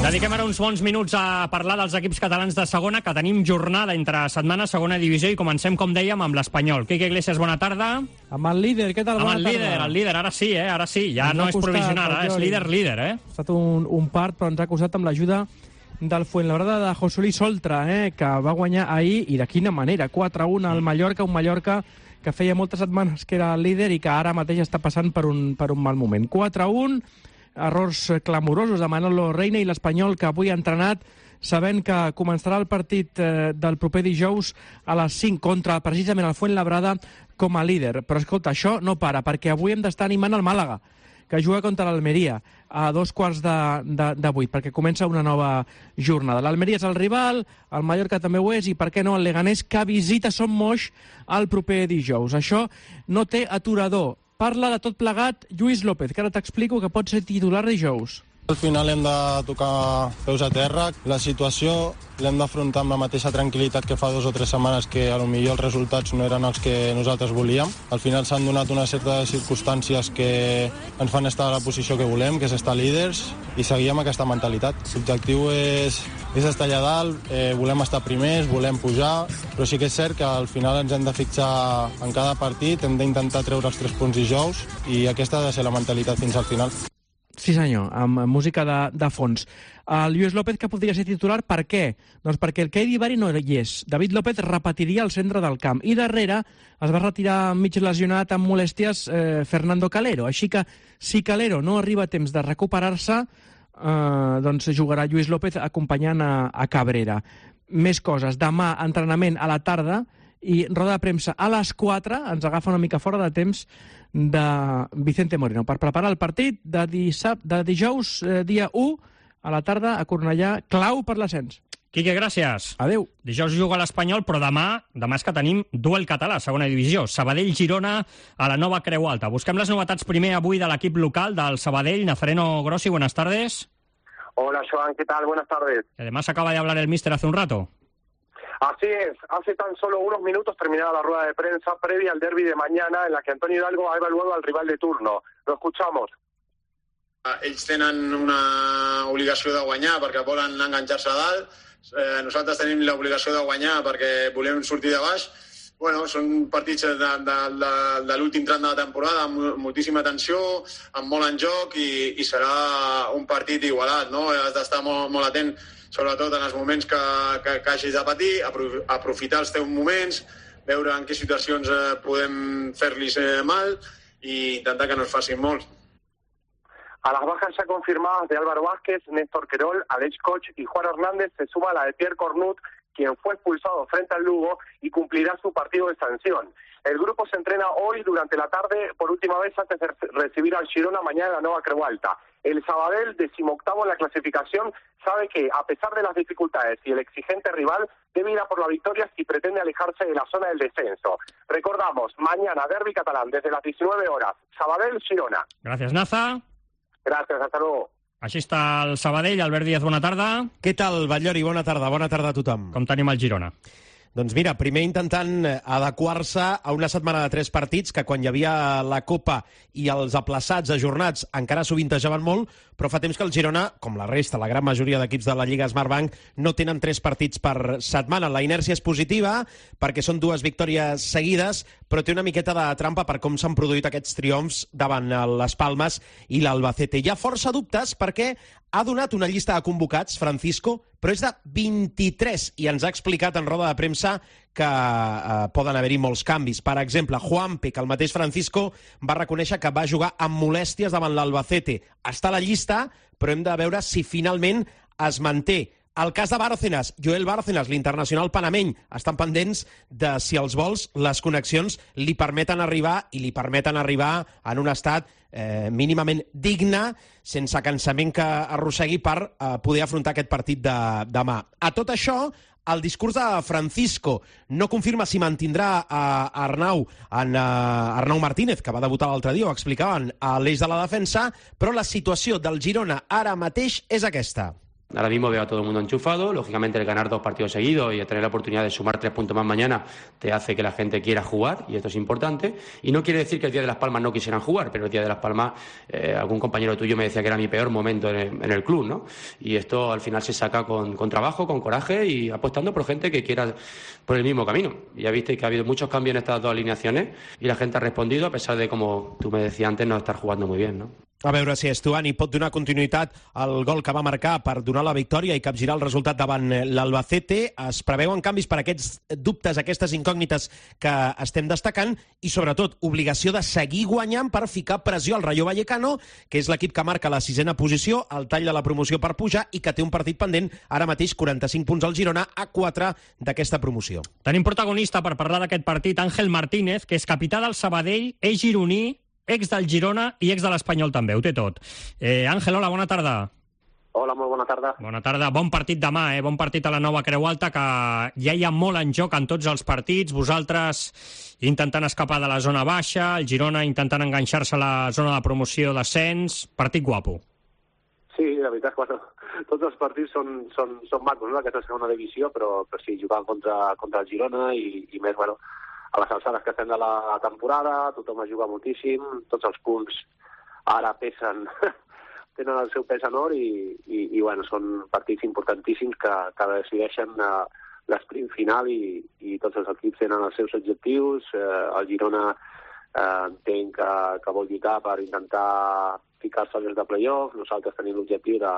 Dediquem ara uns bons minuts a parlar dels equips catalans de segona, que tenim jornada entre setmana, segona divisió, i comencem, com dèiem, amb l'Espanyol. Quique Iglesias, bona tarda. Amb el líder, què tal? Amb Bona el tarda. líder, el líder, ara sí, eh? Ara sí, ja Ens no ha és costat, provisional, eh? És Jordi. líder, líder, eh? Ha estat un, un part, però ens ha costat amb l'ajuda del Fuenlabrada de Josolí Soltra, eh? Que va guanyar ahir, i de quina manera, quatre a un al Mallorca, un Mallorca que feia moltes setmanes que era el líder i que ara mateix està passant per un, per un mal moment. quatre a un, errors clamorosos de Manolo Reina, i l'Espanyol, que avui ha entrenat sabent que començarà el partit eh, del proper dijous a les cinc contra precisament el Fuenlabrada com a líder. Però escolta, això no para, perquè avui hem d'estar animant el Màlaga, que juga contra l'Almeria a dos quarts de, de, de vuit, perquè comença una nova jornada. L'Almeria és el rival, el Mallorca també ho és, i per què no el Leganés, que visita Son Moix el proper dijous. Això no té aturador. Parla de tot plegat Lluís López, que ara t'explico que pot ser titular dijous. Al final hem de tocar peus a terra. La situació l'hem d'afrontar amb la mateixa tranquil·litat que fa dues o tres setmanes, que a lo millor els resultats no eren els que nosaltres volíem. Al final s'han donat una certa de circumstàncies que ens fan estar a la posició que volem, que és estar líders, i seguir amb aquesta mentalitat. L'objectiu és, és estar allà dalt, eh, volem estar primers, volem pujar, però sí que és cert que al final ens hem de fixar en cada partit, hem d'intentar treure els tres punts dijous, i aquesta ha de ser la mentalitat fins al final. Sí senyor, amb música de, de fons. El Lluís López, que podria ser titular, per què? Doncs perquè el Keidi Bari no hi és. David López repetiria al centre del camp. I darrere es va retirar mig lesionat amb molèsties eh, Fernando Calero. Així que si Calero no arriba a temps de recuperar-se, eh, doncs jugarà Lluís López acompanyant a, a Cabrera. Més coses. Demà, entrenament a la tarda, i roda de premsa a les quatre, ens agafa una mica fora de temps, de Vicente Moreno, per preparar el partit de, dissab... de dijous, eh, dia u, a la tarda, a Cornellà, clau per l'ascens. Quique, gràcies. Adéu. Dijous juga l'Espanyol, però demà, demà és que tenim duel català, segona divisió. Sabadell-Girona a la nova Creu Alta. Busquem les novetats primer avui de l'equip local del Sabadell. Nazareno Grossi, buenas tardes. Hola, Joan, ¿qué tal? Buenas tardes. Además acaba de hablar el míster hace un rato. Así es, hace tan solo unos minutos terminada la rueda de prensa previa al derbi de mañana, en la que Antonio Hidalgo ha evaluado al rival de turno. Lo escuchamos. Ells tenen una obligació de guanyar perquè volen enganxar-se a dalt. Eh, nosaltres tenim l'obligació de guanyar perquè volem sortir de baix. Bueno, són partits de, de, de, de l'últim tram de la temporada, amb moltíssima tensió, amb molt en joc, i, i serà un partit igualat, no? Has d'estar molt, molt atent, sobretot en els moments que, que, que hagis de patir, aprofitar els teus moments, veure en què situacions eh, podem fer-los eh, mal i intentar que no es facin molts. A las bajas ya confirmadas de Álvaro Vázquez, Néstor Querol, Alex Koch y Juan Hernández se suma la de Pierre Cornut, quien fue expulsado frente al Lugo y cumplirá su partido de sanción. El grupo se entrena hoy durante la tarde, por última vez antes de recibir al Girona mañana en la Nova Creu Alta. El Sabadell, decimoctavo en la clasificación, sabe que, a pesar de las dificultades y el exigente rival, debe ir a por la victoria si pretende alejarse de la zona del descenso. Recordamos, mañana, derbi catalán, desde las diecinueve horas. Sabadell-Girona. Gràcies, Naza. Gràcies, hasta luego. Així està el Sabadell. Albert Díaz, bona tarda. Què tal, Batllori? Bona tarda. Bona tarda a tothom. Com tenim el Girona? Doncs mira, primer intentant adequar-se a una setmana de tres partits que quan hi havia la Copa i els aplaçats, ajornats, encara sovintejaven molt, però fa temps que el Girona, com la resta, la gran majoria d'equips de la Lliga Smartbank, no tenen tres partits per setmana. La inèrcia és positiva perquè són dues victòries seguides, però té una miqueta de trampa per com s'han produït aquests triomfs davant les Palmes i l'Albacete. Hi ha força dubtes perquè ha donat una llista de convocats, Francisco, però és de vint-i-tres, i ens ha explicat en roda de premsa que eh, poden haver-hi molts canvis. Per exemple, Juanpe, que el mateix Francisco va reconèixer que va jugar amb molèsties davant l'Albacete. Està a la llista, però hem de veure si finalment es manté. El cas de Bárcenas, Joel Bárcenas, l'internacional panameny, estan pendents de si els vols, les connexions, li permeten arribar i li permeten arribar en un estat eh, mínimament digne, sense cansament que arrossegui per eh, poder afrontar aquest partit de demà. A tot això, el discurs de Francisco no confirma si mantindrà a Arnau, en uh, Arnau Martínez, que va debutar l'altre dia, ho explicaven, a l'eix de la defensa, però la situació del Girona ara mateix és aquesta. Ahora mismo veo a todo el mundo enchufado. Lógicamente, el ganar dos partidos seguidos y tener la oportunidad de sumar tres puntos más mañana te hace que la gente quiera jugar, y esto es importante. Y no quiere decir que el día de Las Palmas no quisieran jugar, pero el día de Las Palmas eh, algún compañero tuyo me decía que era mi peor momento en el, en el club, ¿no? Y esto al final se saca con, con trabajo, con coraje y apostando por gente que quiera por el mismo camino. Ya visteis que ha habido muchos cambios en estas dos alineaciones y la gente ha respondido, a pesar de, como tú me decías antes, no estar jugando muy bien, ¿no? A veure si Estuani pot donar continuïtat al gol que va marcar per donar la victòria i capgirar el resultat davant l'Albacete. Es preveuen canvis per aquests dubtes, aquestes incògnites que estem destacant, i sobretot obligació de seguir guanyant per ficar pressió al Rayo Vallecano, que és l'equip que marca la sisena posició, el tall de la promoció per pujar, i que té un partit pendent, ara mateix quaranta-cinc punts al Girona, a quatre d'aquesta promoció. Tenim protagonista per parlar d'aquest partit, Ángel Martínez, que és capità del Sabadell, és gironí, ex del Girona i ex de l'Espanyol també, ho té tot. Eh, Àngel, hola, bona tarda. Hola, molt bona tarda. Bona tarda, bon partit demà, eh? Bon partit a la Nova Creu Alta, que ja hi ha molt en joc en tots els partits. Vosaltres intentant escapar de la zona baixa, el Girona intentant enganxar-se a la zona de promoció d'ascens. Partit guapo. Sí, la veritat és que bueno, tots els partits són, són, són macos, no?, aquesta segona divisió, però, però sí, jugant contra, contra el Girona i, i més, bueno, a les alçades que estem de la temporada, tothom ha jugat moltíssim, tots els punts ara pesen, tenen el seu pes en or i, i, i bueno, són partits importantíssims que, que decideixen uh, l'esprint final i, i tots els equips tenen els seus objectius. Uh, el Girona uh, entenc que, que vol lluitar per intentar ficar-se des de playoff. Nosaltres tenim l'objectiu de,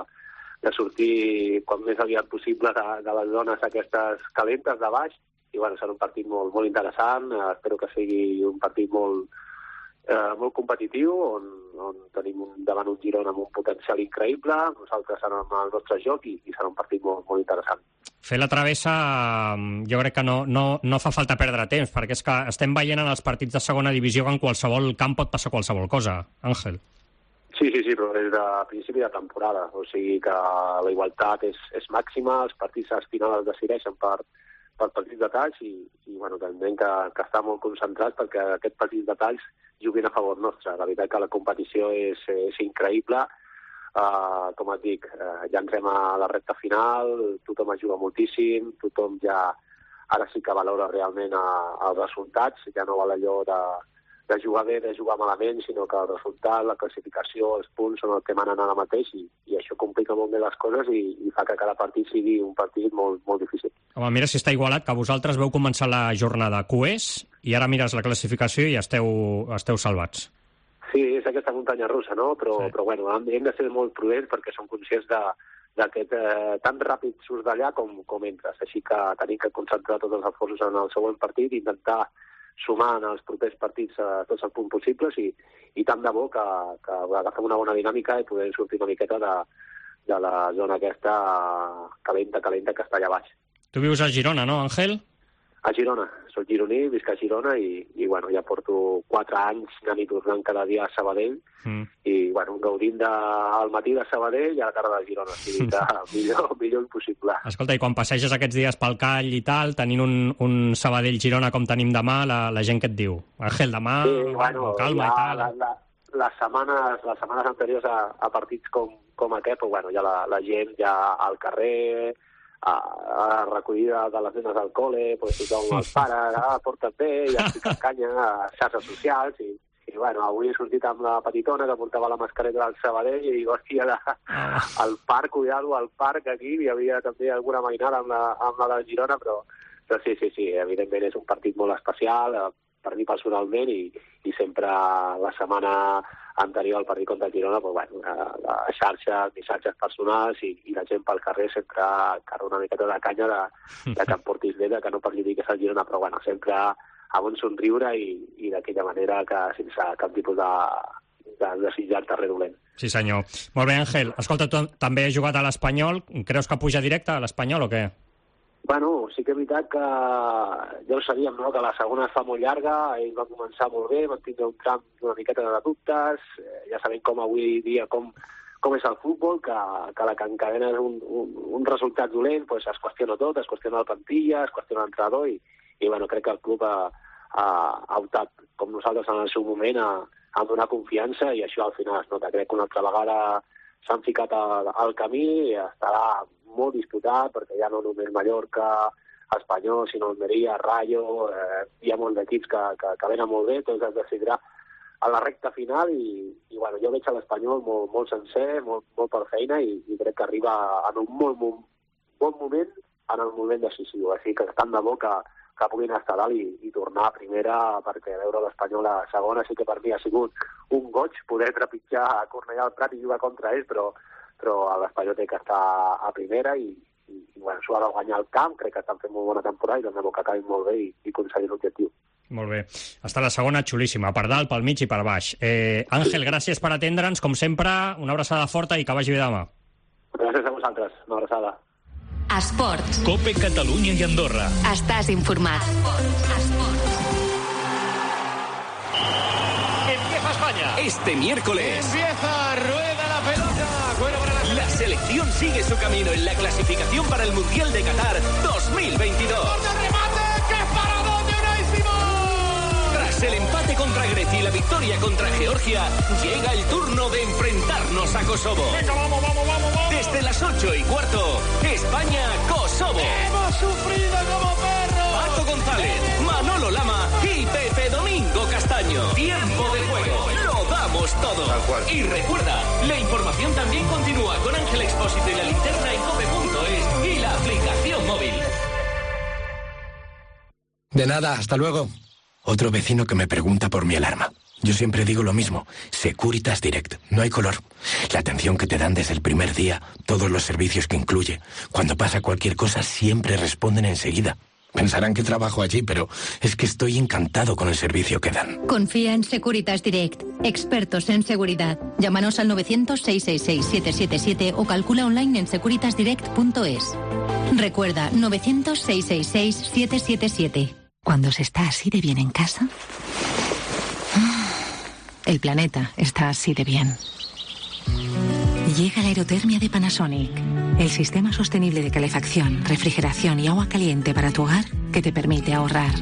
de sortir quan més aviat possible de, de les zones aquestes calentes de baix. I bueno, serà un partit molt, molt interessant. Uh, espero que sigui un partit molt, uh, molt competitiu, on, on tenim un, davant un Girona amb un potencial increïble. Nosaltres serem el nostre joc i, i serà un partit molt, molt interessant. Fer la travessa, jo crec que no, no, no fa falta perdre temps, perquè és que estem veient en els partits de segona divisió que en qualsevol camp pot passar qualsevol cosa, Àngel. Sí, sí, sí, però des de principi de temporada. O sigui que la igualtat és, és màxima, els partits al final es decideixen per per petits detalls i, i bueno, també que, que està molt concentrat perquè aquests petits detalls juguin a favor nostre. La veritat que la competició és, és increïble. Uh, com et dic, uh, ja entrem a la recta final, tothom juga moltíssim, tothom ja ara sí que valora realment uh, els resultats, ja no val allò de, de jugar bé, de jugar malament, sinó que el resultat, la classificació, els punts són el que manen ara mateix i, i això complica molt bé les coses i, i fa que cada partit sigui un partit molt, molt difícil. Home, mira si està igualat, que vosaltres veu començar la jornada coers i ara mires la classificació i esteu, esteu salvats. Sí, és aquesta muntanya russa, no? Però, sí. però bueno, hem de ser molt prudents perquè som conscients de, d'aquest eh, tan ràpid surts d'allà com, com entres. Així que tenim que concentrar tots els esforços en el següent partit i intentar sumar en els propers partits a tots els punts possibles i, i tant de bo que, que agafem una bona dinàmica i podem sortir una miqueta de, de la zona aquesta calenta, calenta que està allà baix. Tu vius a Girona, no, Àngel? A Girona, soc gironí, visc a Girona i, i bueno, ja porto quatre anys anant i tornant cada dia a Sabadell mm. i bueno, gaudint de, al matí de Sabadell i a la tarda de Girona, o sigui que millor, millor impossible. Escolta, i quan passeges aquests dies pel Call i tal, tenint un, un Sabadell-Girona com tenim demà, la, la gent què et diu? Àngel, demà, sí, bueno, calma ja, i tal. La, la, les, setmanes, les setmanes anteriors a, a partits com, com aquest, pues, bueno, ja la, la gent ja al carrer, a, a la recollida de les nenes al col·le, pues, tothom els pares, ah, porta't bé, ja es fica canya a xarxes socials, i, i bueno, avui he sortit amb la petitona que portava la mascareta del Sabadell i dic, hòstia, de, al parc, cuidado, al parc aquí, hi havia també alguna mainada amb la, amb la de Girona, però, però sí, sí, sí, evidentment és un partit molt especial, per mi personalment, i, i sempre la setmana anterior al partit contra Girona, pues, bueno, la xarxa, missatges personals i, i la gent pel carrer sempre carra una miqueta de canya de, de que em portis bé, de que no perjudiqués el Girona, però bueno, sempre amb un somriure i, i d'aquella manera que sense cap tipus de, de desitjar-te res dolent. Sí, senyor. Molt bé, Àngel. Escolta, tu també has jugat a l'Espanyol. Creus que puja directe a l'Espanyol o què? Bueno, sí que és veritat que ja ho sabíem, no?, que la segona es fa molt llarga, ell va començar molt bé, van tindre un tram d'una miqueta de dubtes, ja sabem com avui dia com, com és el futbol, que, que la que encadena un, un, un resultat dolent, pues es qüestiona tot, es qüestiona la plantilla, es qüestiona l'entrenador, i, i bueno, crec que el club ha, ha, ha optat, com nosaltres en el seu moment, a, a donar confiança, i això al final es nota. Crec que una altra vegada s'han ficat al, al camí i estarà molt disputat, perquè ja no només Mallorca, Espanyol, sinó Almeria, Rayo, eh, hi ha molts d'equips que, que, que venen molt bé, tots es decidirà a la recta final, i, i bueno, jo veig a l'Espanyol molt, molt sencer, molt, molt per feina, i, i crec que arriba en un molt, molt bon moment, en el moment decisiu, així que tant de bo que, que puguin estar dalt i, i tornar a primera, perquè veure l'Espanyol a segona sí que per mi ha sigut un goig poder trepitjar a Cornellà al Prat i jugar contra ells, però però l'Espanyol té que estar a primera i, i, i bueno, s'ho ha de guanyar el camp, crec que estan fent molt bona temporada i doncs que acabin molt bé i, i aconseguir l'objectiu. Molt bé. Està la segona xulíssima, per dalt, pel mig i per baix. Eh, Àngel, gràcies per atendre'ns, com sempre, una abraçada forta i que vagi bé demà. Gràcies a vosaltres, una abraçada. Esports. Cope Catalunya i Andorra. Estàs informat. Esports. Esports. Empieza España. Este miércoles. Empieza, rueda la pelota. La selección sigue su camino en la clasificación para el Mundial de Qatar dos mil veintidós. ¡Remate! ¡Qué paradón de Unai Simón! Tras el empate contra Grecia y la victoria contra Georgia, llega el turno de enfrentarnos a Kosovo. Venga, vamos, vamos, vamos, vamos. Desde las ocho y cuarto, España-Kosovo. ¡Hemos sufrido como perros! Paco González, Manolo Lama y Pepe Domingo Castaño. Tiempo de juego. Lo damos todo. Y recuerda, la información también continúa con Ángel Expósito y la linterna en cope punto es y la aplicación móvil. De nada, hasta luego. Otro vecino que me pregunta por mi alarma. Yo siempre digo lo mismo, Securitas Direct, no hay color. La atención que te dan desde el primer día, todos los servicios que incluye. Cuando pasa cualquier cosa siempre responden enseguida. Pensarán que trabajo allí, pero es que estoy encantado con el servicio que dan. Confía en Securitas Direct, expertos en seguridad. Llámanos al novecientos, seiscientos sesenta y seis, setecientos setenta y siete o calcula online en securitas direct punto es. Recuerda, novecientos, seiscientos sesenta y seis, setecientos setenta y siete. Cuando se está así de bien en casa, el planeta está así de bien. Llega la aerotermia de Panasonic, el sistema sostenible de calefacción, refrigeración y agua caliente para tu hogar que te permite ahorrar.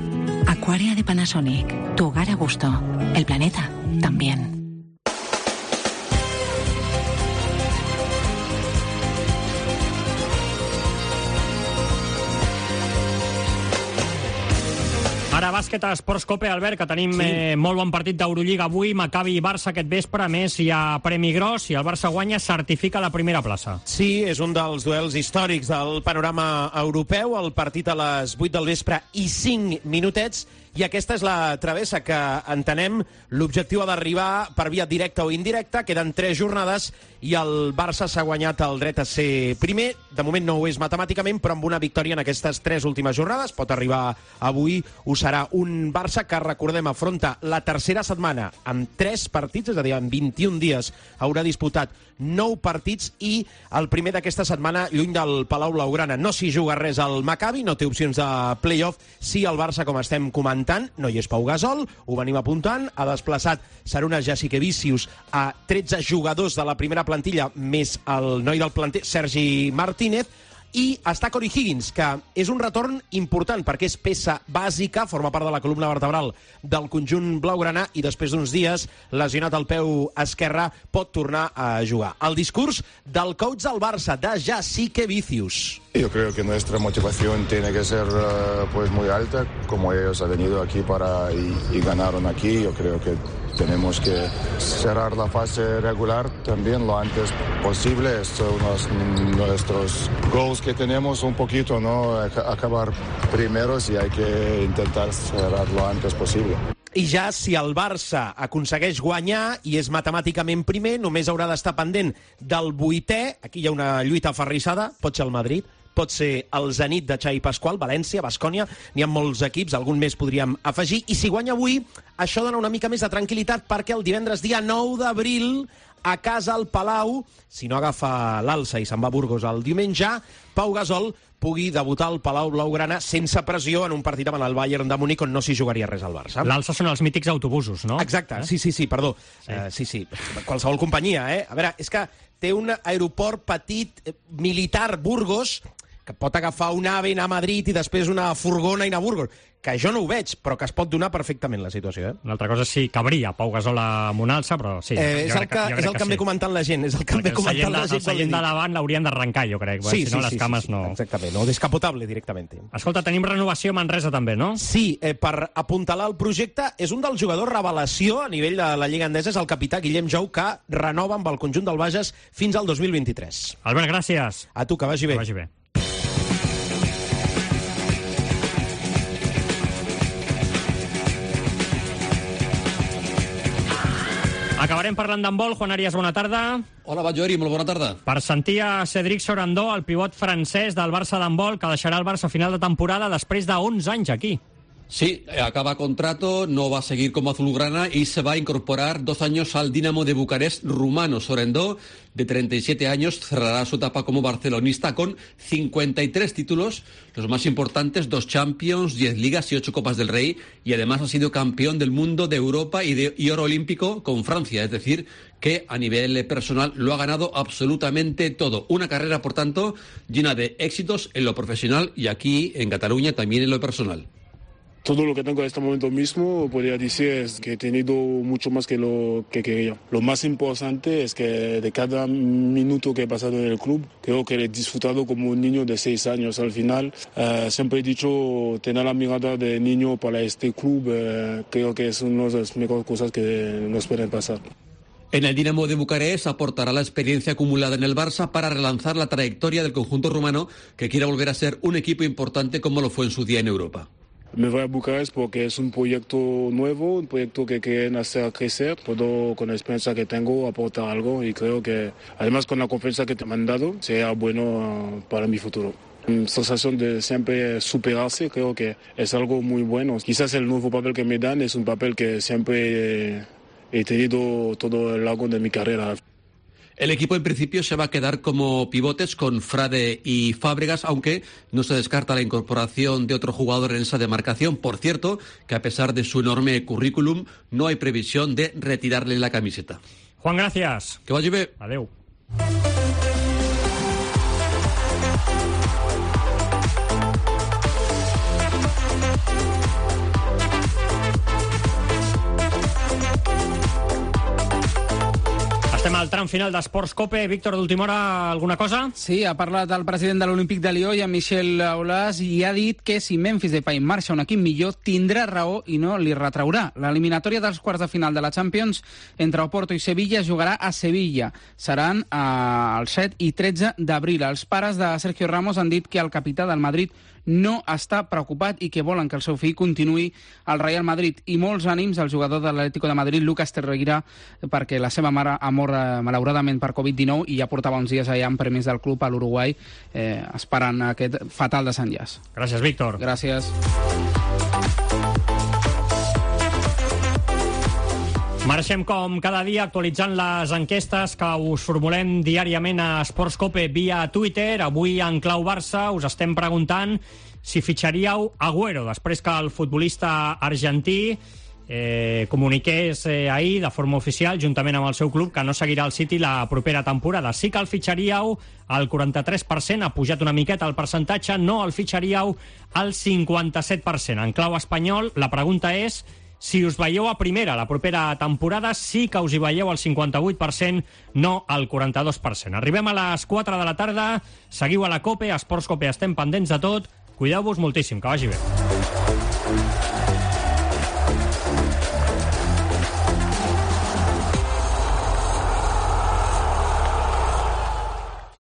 Aquaria de Panasonic, tu hogar a gusto, el planeta también. Ara bàsquet a Esports Cope, Albert, que tenim sí. eh, molt bon partit d'Eurolliga avui, Maccabi i Barça aquest vespre, a més hi ha premi gros i el Barça guanya, certifica la primera plaça. Sí, és un dels duels històrics del panorama europeu, el partit a les vuit del vespre i cinc minutets, i aquesta és la travessa que entenem. L'objectiu ha d'arribar per via directa o indirecta, queden tres jornades i el Barça s'ha guanyat el dret a ser primer. De moment no ho és matemàticament, però amb una victòria en aquestes tres últimes jornades, pot arribar avui, ho serà serà un Barça que, recordem, afronta la tercera setmana amb tres partits, és a dir, en vint-i-un dies haurà disputat nou partits i el primer d'aquesta setmana lluny del Palau Blaugrana. No s'hi juga res al Maccabi, no té opcions de play-off. Sí, el Barça, com estem comentant, no hi és Pau Gasol, ho venim apuntant, ha desplaçat Sarunas Jasikevičius a tretze jugadors de la primera plantilla, més el noi del planter, Sergi Martínez, i està Corey Higgins, que és un retorn important perquè és peça bàsica, forma part de la columna vertebral del conjunt blaugrana i després d'uns dies, lesionat al peu esquerre, pot tornar a jugar. El discurs del coach del Barça, de Jasikevičius. Yo creo que nuestra motivación tiene que ser uh, pues muy alta, como ellos han venido aquí para y, y ganaron aquí. Yo creo que tenemos que cerrar la fase regular también lo antes posible. Estos son nuestros goals que tenemos un poquito, ¿no? Acabar primeros y hay que intentar cerrar lo antes posible. I ja si el Barça aconsegueix guanyar i és matemàticament primer, només haurà d'estar pendent del vuitè. Aquí hi ha una lluita aferrissada, pot ser el Madrid, pot ser el Zenit de Xavi Pasqual, València, Baskonia, n'hi ha molts equips, algun més podríem afegir, i si guanya avui, això dona una mica més de tranquil·litat perquè el divendres dia nou d'abril, a casa al Palau, si no agafa l'alça i se'n va a Burgos el diumenge, Pau Gasol pugui debutar al Palau Blaugrana sense pressió en un partit amb el Bayern de Múnich on no s'hi jugaria res al Barça. L'alça són els mítics autobusos, no? Exacte, eh? sí, sí, sí, perdó. Sí. Uh, sí, sí, qualsevol companyia, eh? A veure, és que té un aeroport petit eh, militar, Burgos, que pot agafar un AVE, anar a Madrid i després una furgona i anar a Burgos, que jo no ho veig, però que es pot donar perfectament la situació. Eh? Una altra cosa és si cabria Pau Gasol amb un alça, però sí. Eh, és el que, que, és el que, que em ve sí. comentant la gent. És el que em ve comentant la gent. El seient de davant l'haurien d'arrencar, jo crec. Sí, si no, sí, les sí, cames sí, sí, no... Exactament, no descapotable directament. Escolta, tenim renovació a Manresa també, no? Sí, eh, per apuntalar el projecte, és un dels jugadors revelació a nivell de la Lliga Endesa, és el capità Guillem Jou, que renova amb el conjunt del Bages fins al dos mil vint-i-tres. Albert, gràcies. A tu, que vagi bé. Que vagi bé. Acabarem parlant d'handbol. Juan Arias, bona tarda. Hola, Batllori, molt bona tarda. Per sentir a Cédric Sorandó, el pivot francès del Barça d'handbol, que deixarà el Barça a final de temporada després d'onze anys aquí. Sí, acaba contrato, no va a seguir como azulgrana y se va a incorporar dos años al Dinamo de Bucarest rumano. Sorendó, de treinta y siete años, cerrará su etapa como barcelonista con cincuenta y tres títulos, los más importantes, dos Champions, diez Ligas y ocho Copas del Rey, y además ha sido campeón del mundo, de Europa y, de, y oro olímpico con Francia, es decir, que a nivel personal lo ha ganado absolutamente todo. Una carrera, por tanto, llena de éxitos en lo profesional y aquí en Cataluña también en lo personal. Todo lo que tengo en este momento mismo, podría decir, es que he tenido mucho más que lo que quería. Lo más importante es que de cada minuto que he pasado en el club, creo que he disfrutado como un niño de seis años. Al final, eh, siempre he dicho, tener la mirada de niño para este club, eh, creo que es una de las mejores cosas que nos pueden pasar. En el Dinamo de Bucarest aportará la experiencia acumulada en el Barça para relanzar la trayectoria del conjunto rumano, que quiere volver a ser un equipo importante como lo fue en su día en Europa. Me voy a Bucarest porque es un proyecto nuevo, un proyecto que quieren hacer crecer. Puedo, con la experiencia que tengo, aportar algo y creo que, además con la confianza que te me han dado, sea bueno para mi futuro. La sensación de siempre superarse creo que es algo muy bueno. Quizás el nuevo papel que me dan es un papel que siempre he tenido todo el largo de mi carrera. El equipo en principio se va a quedar como pivotes con Frade y Fábregas, aunque no se descarta la incorporación de otro jugador en esa demarcación. Por cierto, que a pesar de su enorme currículum, no hay previsión de retirarle la camiseta. Juan, gracias. Que vagi bé. Adeu. Estem al tram final d'Esports Cope. Víctor, d'última hora, alguna cosa? Sí, ha parlat el president de l'Olímpic de Lió, en Michel Aulas, i ha dit que si Memphis Depay marxa un equip millor, tindrà raó i no li retraurà. L'eliminatòria dels quarts de final de la Champions entre Oporto i Sevilla es jugarà a Sevilla. Seran eh, el set i tretze d'abril. Els pares de Sergio Ramos han dit que el capità del Madrid no està preocupat i que volen que el seu fill continuï al Real Madrid. I molts ànims al jugador de l'Atlético de Madrid, Lucas Torreira, perquè la seva mare ha mort eh, malauradament per covid dinou i ja portava uns dies allà amb permís del club a l'Uruguai, eh, esperant aquest fatal desenllaç. Gràcies, Víctor. Gràcies. Marxem com cada dia actualitzant les enquestes que us formulem diàriament a Esports Cope via Twitter. Avui en clau Barça us estem preguntant si fitxaríeu Agüero després que el futbolista argentí eh, comuniqués eh, ahir de forma oficial, juntament amb el seu club, que no seguirà el City la propera temporada. Sí que el fitxaríeu al quaranta-tres per cent, ha pujat una miqueta el percentatge, no el fitxaríeu al cinquanta-set per cent. En clau espanyol, la pregunta és si us veieu a primera la propera temporada. Sí que us hi veieu al cinquanta-vuit per cent, no al quaranta-dos per cent. Arribem a les quatre de la tarda, seguiu a la COPE, a Esports Cope estem pendents de tot, cuideu-vos moltíssim, que vagi bé.